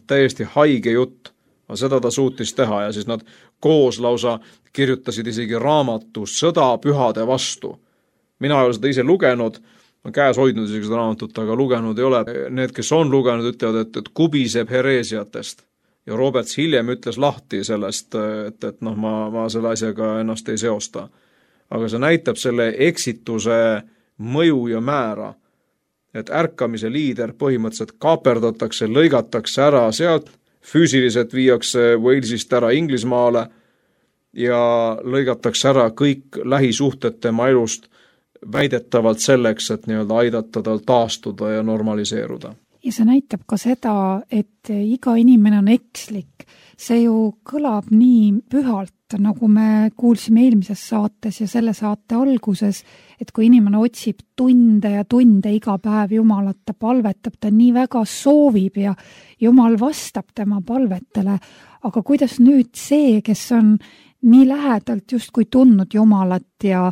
Täiesti haige jutt, aga seda ta suutis teha ja siis nad koos lausa kirjutasid isegi raamatu Sõda pühade vastu. Mina ei ole seda ise lugenud, ma käes hoidnud isegi seda raamatut, aga lugenud ei ole. Need, kes on lugenud, ütlevad, et kubiseb hereesiatest. Ja Roberts hiljem ütles lahti sellest, et ma selle asjaga ennast ei seosta. Aga see näitab selle eksituse mõju ja määra, et ärkamise liider põhimõtteliselt kaaperdatakse, lõigatakse ära sealt, füüsiliselt viiakse Walesist ära Inglismaale ja lõigatakse ära kõik lähisuhted tema elust väidetavalt selleks, et aidata tal taastuda ja normaliseeruda. Ja see näitab ka seda, et iga inimene on ekslik. See ju kõlab nii pühalt, nagu me kuulsime eelmises saates ja selle saate alguses, et kui inimene otsib tunde ja tunde iga päev Jumalat, ta palvetab, ta nii väga soovib ja Jumal vastab tema palvetele. Aga kuidas nüüd see, kes on nii lähedalt justkui tundnud Jumalat ja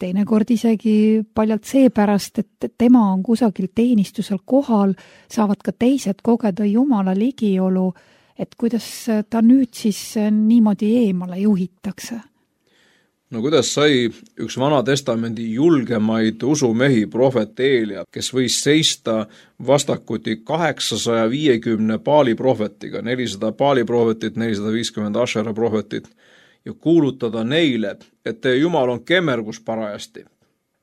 teinekord isegi paljalt seepärast, et tema on kusagil teenistusel kohal, saavad ka teised kogeda Jumala ligiolu, et kuidas ta nüüd siis niimoodi eemale juhitakse? No kuidas sai üks Vana Testamendi julgemaid usumehi, prohvet Eelia, kes võis seista vastakuti 850 Baali prohvetiga, 400 Baali prohvetit, 450 Ashera prohvetit, ja kuulutada neile, et teie Jumal on kemmergus parajasti.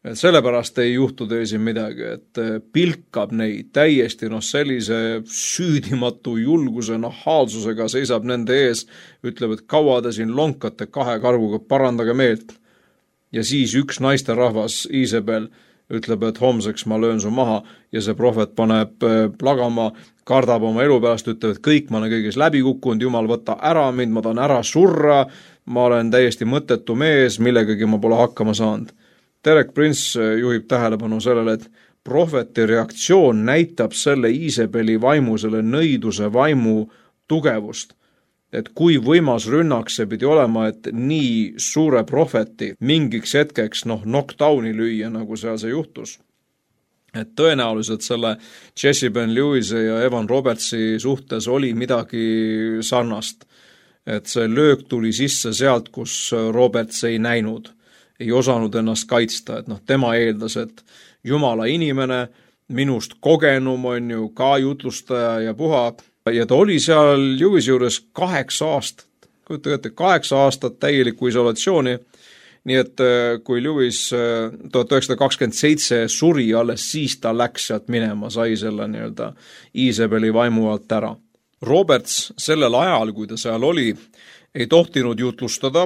Et sellepärast ei juhtu teil siin midagi, et pilkab neid täiesti sellise süüdimatu julguse nahaalsusega, seisab nende ees, ütleb, et kaua te siin lonkate 2 karguga, parandage meelt. Ja siis üks naisterahvas, Iisabel, ütleb, et homseks ma löön su maha ja see prohvet paneb plagama, kardab oma elu pärast, ütleb, et kõik ma olen kõigis läbi kukkunud, Jumal võta ära mind, ma tahan ära surra, ma olen täiesti mõttetu mees, millegagi ma pole hakkama saanud. Derek Prince juhib tähelepanu sellele, et prohveti reaktsioon näitab selle Iisabeli vaimu, selle nõiduse vaimu tugevust. Et kui võimas rünnak see pidi olema, et nii suure prohveti mingiks hetkeks knockdowni lüüa, nagu seal see juhtus. Et tõenäoliselt selle Jesse Ben Lewise ja Evan Robertsi suhtes oli midagi sarnast. Et see löök tuli sisse sealt, kus Roberts ei näinud, ei osanud ennast kaitsta, et tema eeldas, et Jumala inimene, minust kogenum on ju ka jutlustaja ja puha, ja ta oli seal Lewis juures 8 aastat, kujutage ette, 8 aastat täielikku isolatsiooni, nii et kui Lewis 1927 suri, alles siis ta läks sealt minema, sai selle Iisabeli vaimu alt ära. Roberts sellel ajal, kui ta seal oli, ei tohtinud jutlustada.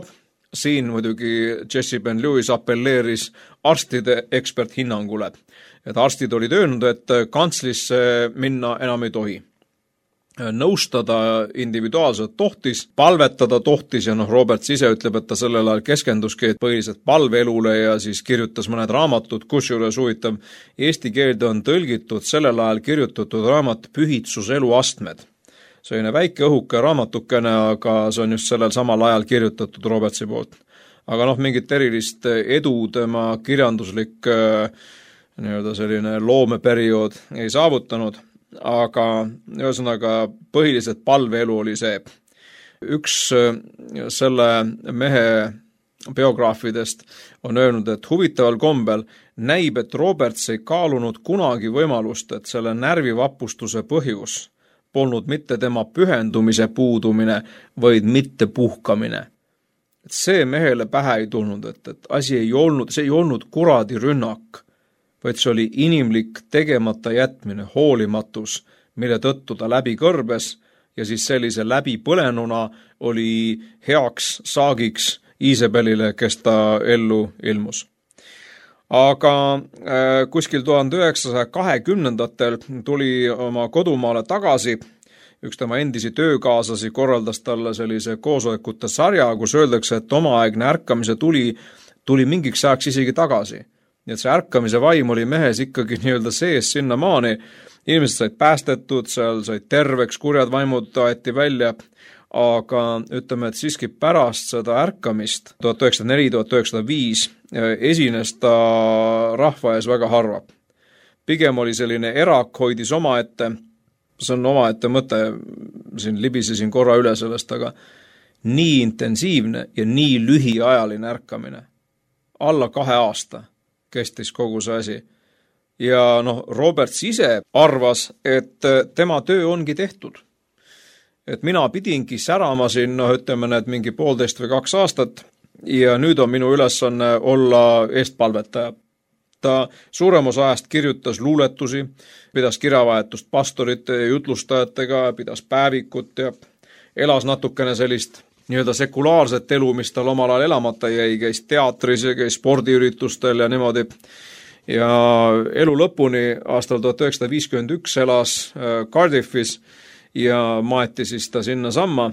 Siin muidugi Jesse Ben Lewis appelleeris arstide eksperthinnangule. Et arstid olid öelnud, et kantslisse minna enam ei tohi. Nõustada individuaalselt tohtis, palvetada tohtis ja Roberts ise ütleb, et ta sellel ajal keskenduski põhiliselt palveelule ja siis kirjutas mõned raamatud, kusjuures huvitav, eesti keelde on tõlgitud sellel ajal kirjutatud raamat Pühitsus eluastmed. Selline väike õhuke raamatukene, aga see on just sellel samal ajal kirjutatud Robertsi poolt. Aga mingit erilist edu tema kirjanduslik selline loomeperiood ei saavutanud, aga ühesõnaga põhiliselt palveelu oli see. Üks selle mehe biograafidest on öelnud, et huvitaval kombel näib, et Roberts ei kaalunud kunagi võimalust, et selle närvivapustuse põhjus polnud mitte tema pühendumise puudumine, vaid mitte puhkamine. Et see mehele pähe ei tulnud, et see ei olnud kuradi rünnak, vaid see oli inimlik tegemata jätmine, hoolimatus, mille tõttu ta läbi kõrbes ja siis sellise läbi põlenuna oli heaks saagiks Iisabelile, kes ta ellu ilmus. Aga kuskil 1920-ndatel tuli oma kodumaale tagasi, üks tema endisi töökaaslasi korraldas talle sellise koosolekute sarja, kus öeldakse, et omaaegne ärkamise tuli mingiks ajaks isegi tagasi. Nii et see ärkamise vaim oli mehes ikkagi sees sinnamaani, inimesed said päästetud, seal said terveks, kurjad vaimud aeti välja, aga ütleme, et siiski pärast seda ärkamist 1904-1905 esines ta rahva ees väga harva. Pigem oli selline erak, hoidis omaette, see on omaette mõte, siin libisesin korra üle sellest, aga nii intensiivne ja nii lühiajaline ärkamine. Alla 2 aasta kestis kogu see asi. Ja Roberts ise arvas, et tema töö ongi tehtud. Et mina pidingi särama siin, ütleme need mingi 1,5 või 2 aastat ja nüüd on minu ülesanne olla eestpalvetaja. Ta suurem osa ajast kirjutas luuletusi, pidas kirjavahetust pastorite ja jutlustajatega, pidas päevikut ja elas natukene sellist sekulaarset elu, mis tal omal ajal elamata jäi, käis teatris ja käis spordiüritustel ja niimoodi. Ja elu lõpuni aastal 1951 elas Cardiffis ja maeti siis ta sinna samma.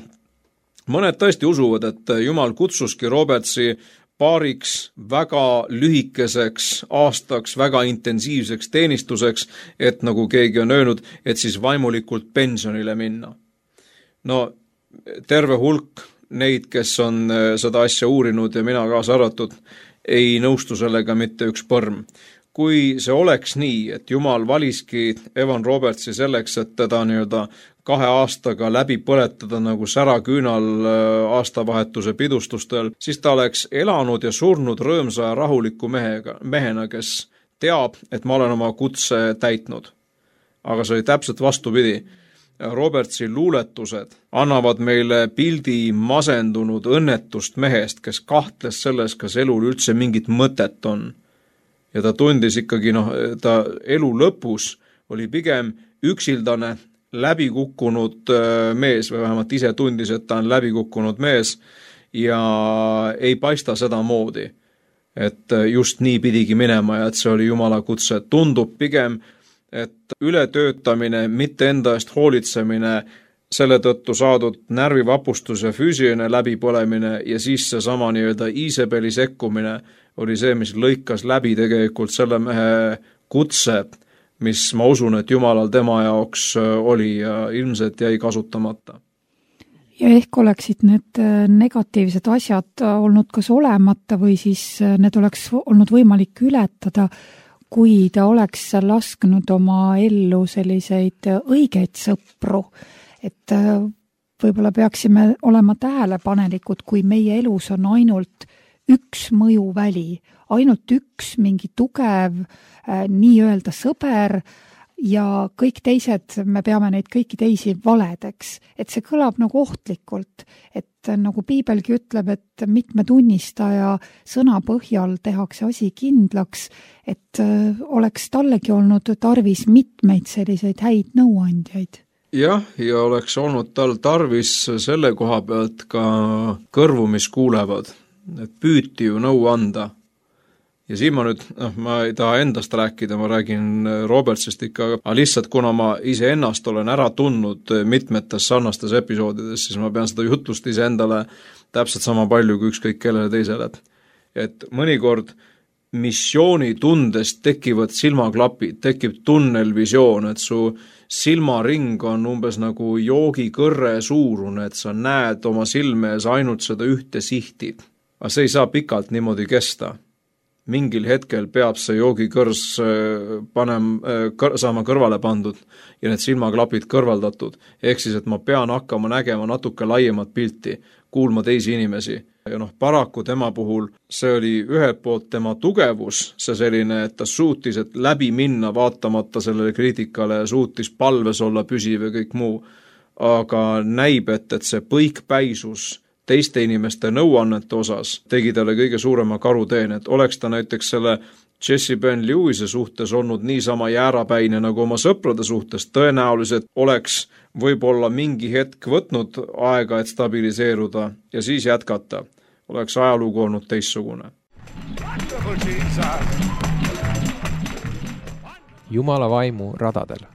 Mõned tõesti usuvad, et Jumal kutsuski Robertsi paariks väga lühikeseks aastaks, väga intensiivseks teenistuseks, et nagu keegi on öelnud, et siis vaimulikult pensionile minna. Terve hulk neid, kes on seda asja uurinud ja mina kaasa arvatud, ei nõustu sellega mitte üks põrm. kui see oleks nii, et Jumal valiski Evan Robertsi selleks, et teda 2 aastaga läbi põletada nagu säraküünal aastavahetuse pidustustel, siis ta oleks elanud ja surnud rõõmsa ja rahuliku mehena, kes teab, et ma olen oma kutse täitnud. Aga see oli täpselt vastupidi. Robertsi luuletused annavad meile pildi masendunud õnnetust mehest, kes kahtles selles, kas elul üldse mingit mõtet on. Ja ta tundis ikkagi, ta elu lõpus oli pigem üksildane, läbikukkunud mees või vähemalt ise tundis, et ta on läbikukkunud mees ja ei paista seda moodi, et just nii pidigi minema ja et see oli Jumala kutse. Tundub pigem, et ületöötamine, mitte enda eest hoolitsemine, selle tõttu saadud närvivapustus ja füüsiline läbipõlemine ja siis see sama Iisabeli sekkumine oli see, mis lõikas läbi tegelikult selle mehe kutse, mis ma usun, et Jumalal tema jaoks oli ja ilmselt jäi kasutamata. Ja ehk oleksid need negatiivsed asjad olnud kas olemata või siis need oleks olnud võimalik ületada, kui ta oleks lasknud oma ellu selliseid õigeid sõpru, et võib-olla peaksime olema tähelepanelikud, kui meie elus on ainult üks mõjuväli, ainult üks mingi tugev nii-öelda sõber ja kõik teised, me peame neid kõiki teisi valedeks, et see kõlab nagu ohtlikult, et nagu Piibelgi ütleb, et mitme tunnistaja sõna põhjal tehakse asi kindlaks, et oleks tallegi olnud tarvis mitmeid selliseid häid nõuandjaid. Jah, ja oleks olnud tal tarvis selle koha pealt ka kõrvu, mis kuulevad, et püüti ju nõu anda. Ja siin ma nüüd, ma ei taha endast rääkida, ma räägin Robertsist ikka, aga lihtsalt kuna ma ise ennast olen ära tundnud mitmetes sarnastes episoodides, siis ma pean seda jutlust ise endale täpselt sama palju kui ükskõik kellele teisele. Et mõnikord missioonitundest tekivad silmaklapid, tekib tunnelvisioon, et su silmaring on umbes nagu joogikõrre suurune, et sa näed oma silme ees ainult seda ühte sihti. Aga see ei saa pikalt niimoodi kesta. Mingil hetkel peab see joogikõrs saama kõrvale pandud ja need silmaklapid kõrvaldatud. Ehk siis, et ma pean hakkama nägema natuke laiemat pilti, kuulma teisi inimesi. Ja paraku tema puhul see oli ühelt poolt tema tugevus, see selline, et ta suutis läbi minna vaatamata sellele kriitikale ja suutis palves olla püsiv ja kõik muu. Aga näib, et see põikpäisus teiste inimeste nõuannete osas tegi talle kõige suurema karuteen, et oleks ta näiteks selle Jesse Ben Lewise suhtes olnud niisama jäärapäine nagu oma sõprade suhtes, tõenäoliselt oleks võib-olla mingi hetk võtnud aega, et stabiliseeruda ja siis jätkata. Oleks ajalugu olnud teistsugune. Jumala vaimu radadel.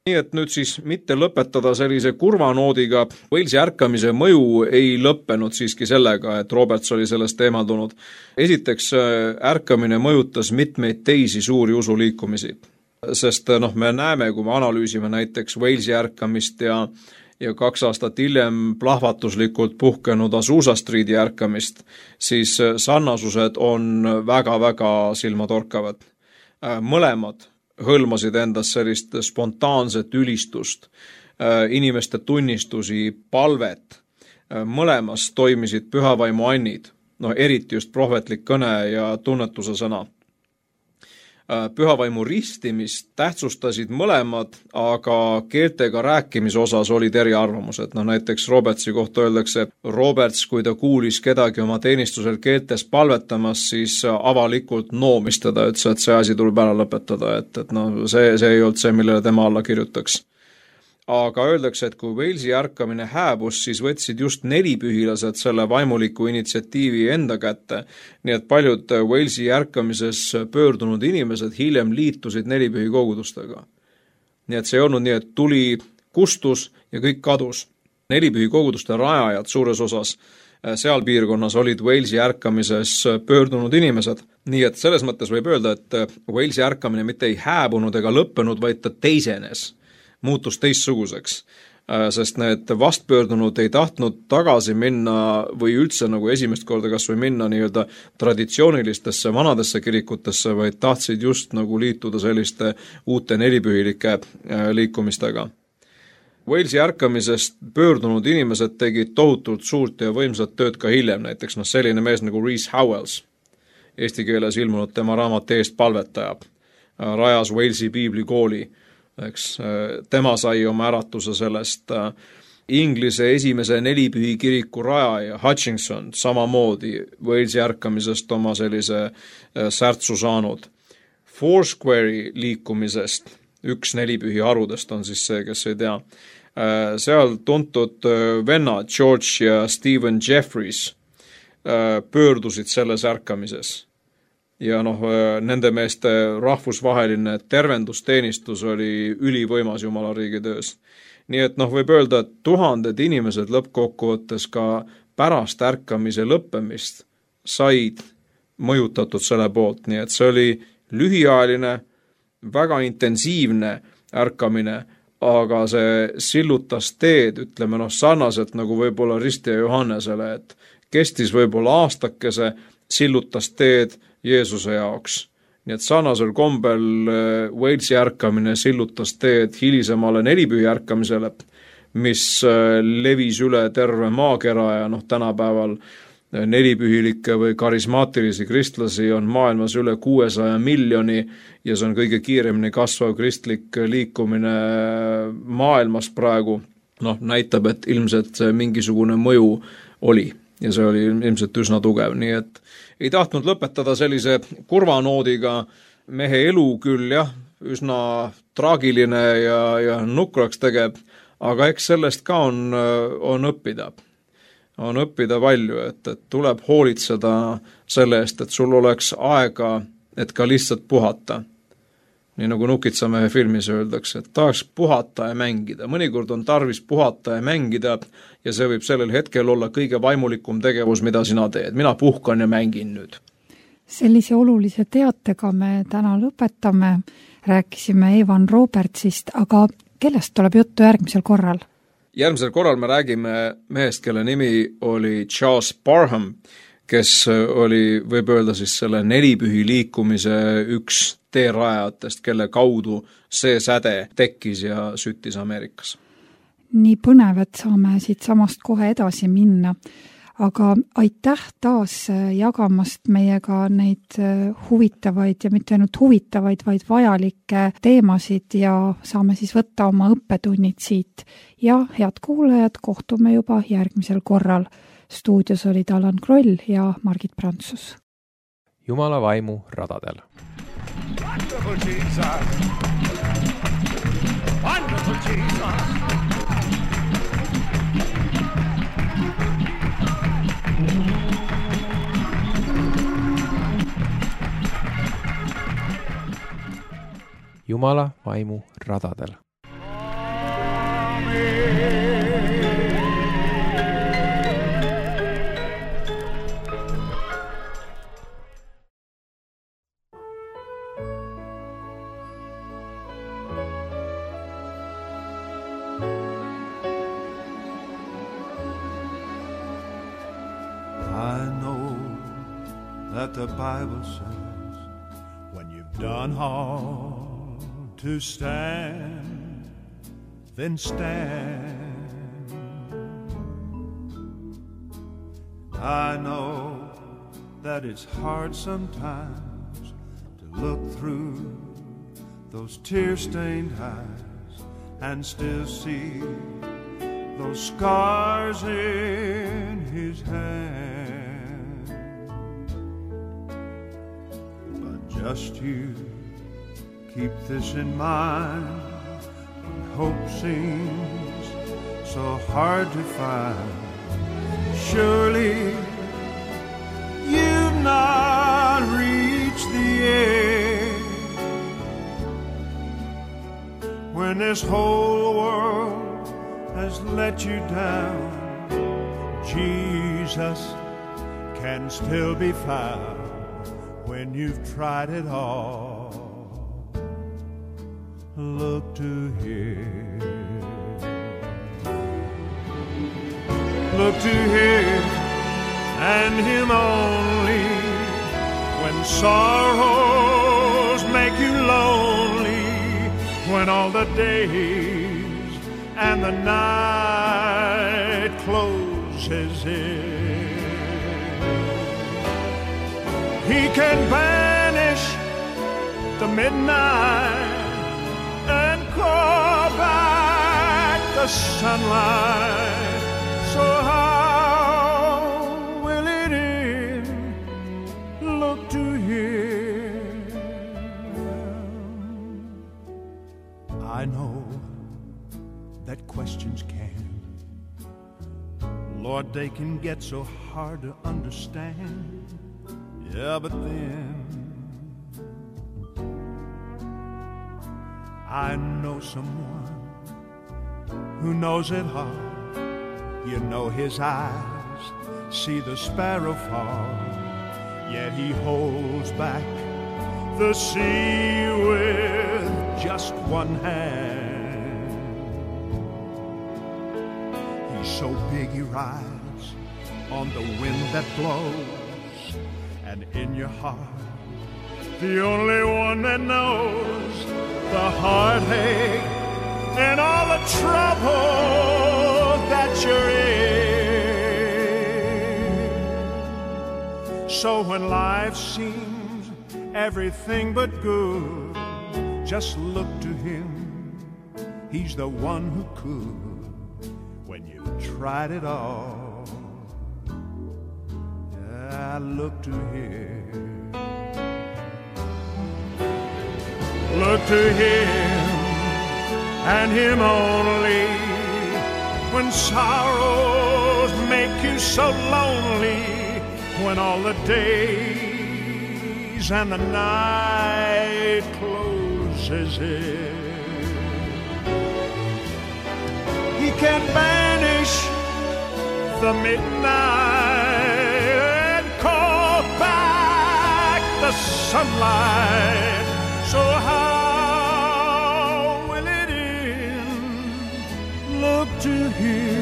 Nii et nüüd siis mitte lõpetada sellise kurva noodiga, Walesi ärkamise mõju ei lõppenud siiski sellega, et Roberts oli sellest eemaldunud. Esiteks ärkamine mõjutas mitmeid teisi suuri usuliikumisi, sest me näeme, kui me analüüsime näiteks Walesi ärkamist ja 2 aastat hiljem plahvatuslikult puhkenud Azusa Streeti ärkamist, siis sarnasused on väga-väga silmatorkavad. Mõlemad hõlmasid endas sellist spontaanset ülistust, inimeste tunnistusi, palvet. Mõlemas toimisid pühavaimu annid, eriti just prohvetlik kõne ja tunnetuse sõna. Pühavaimu ristimist tähtsustasid mõlemad, aga keeltega rääkimise osas olid eriarvamused. Näiteks Robertsi kohta öeldakse, Roberts, kui ta kuulis kedagi oma teenistusel keeltes palvetamas, siis avalikult noomis teda, ütles, et see asi tuleb ära lõpetada, et see ei olnud see, millele tema alla kirjutaks. Aga öeldakse, et kui Walesi ärkamine hääbus, siis võtsid just nelipühilased selle vaimuliku initsiatiivi enda kätte, nii et paljud Walesi ärkamises pöördunud inimesed hiljem liitusid nelipühi kogudustega. Nii et see ei olnud nii, et tuli, kustus ja kõik kadus. Nelipühi koguduste rajajad suures osas seal piirkonnas olid Walesi ärkamises pöördunud inimesed. Nii et selles mõttes võib öelda, et Walesi ärkamine mitte ei hääbunud ega lõppenud, vaid ta teisenes, muutus teistsuguseks. sest need vastpöördunud ei tahtnud tagasi minna või üldse nagu esimest korda kas või minna nii-öelda traditsioonilistesse vanadesse kirikutesse, vaid tahtsid just nagu liituda selliste uute nelipühilike liikumistega. Walesi ärkamisest pöördunud inimesed tegid tohutult suurt ja võimsat tööd ka hiljem, näiteks selline mees nagu Rees Howells, eesti keeles ilmunud tema raamat Eest palvetaja, rajas Walesi piiblikooli, eks tema sai oma äratuse sellest. Inglise esimese nelipühi kiriku rajaja Hutchinson samamoodi Walesi ärkamisest oma sellise särtsu saanud. Foursquare'i liikumisest, üks nelipühi harudest on siis see, kes ei tea, seal tuntud vennad George ja Stephen Jeffries pöördusid selles ärkamises. Ja nende meeste rahvusvaheline tervendusteenistus oli ülivõimas Jumala riigi töös. Nii et võib öelda, et tuhanded inimesed lõppkokkuvõttes ka pärast ärkamise lõppemist said mõjutatud selle poolt, nii et see oli lühiajaline, väga intensiivne ärkamine, aga see sillutas teed, ütleme sarnaselt nagu võib-olla Risti ja Johannesele, et kestis võib-olla aastakese, sillutas teed Jeesuse jaoks. Nii et sarnasel kombel Walesi ärkamine sillutas teed hilisemale nelipühi ärkamisele, mis levis üle terve maakera ja tänapäeval nelipühilikke või karismaatilisi kristlasi on maailmas üle 600 miljoni ja see on kõige kiiremini kasvav kristlik liikumine maailmas praegu. Näitab, et ilmselt mingisugune mõju oli ja see oli ilmselt üsna tugev, nii et ei tahtnud lõpetada sellise kurva noodiga. Mehe elu küll üsna traagiline ja nukraks tegeb, aga eks sellest ka on õppida. On õppida palju, et tuleb hoolitseda selle eest, et sul oleks aega, et ka lihtsalt puhata. Nii nagu Nukitsamehe filmis öeldakse, et tahaks puhata ja mängida. Mõnikord on tarvis puhata ja mängida ja see võib sellel hetkel olla kõige vaimulikum tegevus, mida sina teed. Mina puhkan ja mängin nüüd. Sellise olulise teatega me täna lõpetame. Rääkisime Evan Robertsist, aga kellest tuleb juttu järgmisel korral? Järgmisel korral me räägime mehest, kelle nimi oli Charles Parham, kes oli, võib öelda siis selle nelipühi liikumise üks teerajatest, kelle kaudu see säde tekkis ja süttis Ameerikas. Nii põnev, et saame siit samast kohe edasi minna, aga aitäh taas jagamast meiega neid huvitavaid ja mitte ainult huvitavaid, vaid vajalikke teemasid ja saame siis võtta oma õppetunnid siit. Ja head kuulajad, kohtume juba järgmisel korral. Stuudios olid Alan Kroll ja Margit Prantsus. Jumala vaimu radadel. Wonderful Jesus. Wonderful Jesus. Jumala vaimu radadel. I know that the Bible says when you've done all to stand, then stand. I know that it's hard sometimes to look through those tear-stained eyes and still see those scars in his hand. But just you keep this in mind when hope seems so hard to find. Surely you've not reached the end when this whole world has let you down. Jesus can still be found when you've tried it all. Look to Him. look to Him and Him only. When sorrows make you lonely, when all the days and the night closes in, He can banish the midnight and call back the sunlight. So how will it end? Look to Him. I know that questions can, Lord, they can get so hard to understand. Yeah, but then I know someone who knows it all. You know His eyes see the sparrow fall, yet He holds back the sea with just one hand. He's so big He rides on the wind that blows, and in your heart, the only one that knows the heartache and all the trouble that you're in. So when life seems everything but good, just look to Him. He's the one who could when you've tried it all. Yeah, look to Him. Look to Him and Him only. When sorrows make you so lonely, when all the days and the night closes in, He can banish the midnight and call back the sunlight. So how will it end? Look to Him.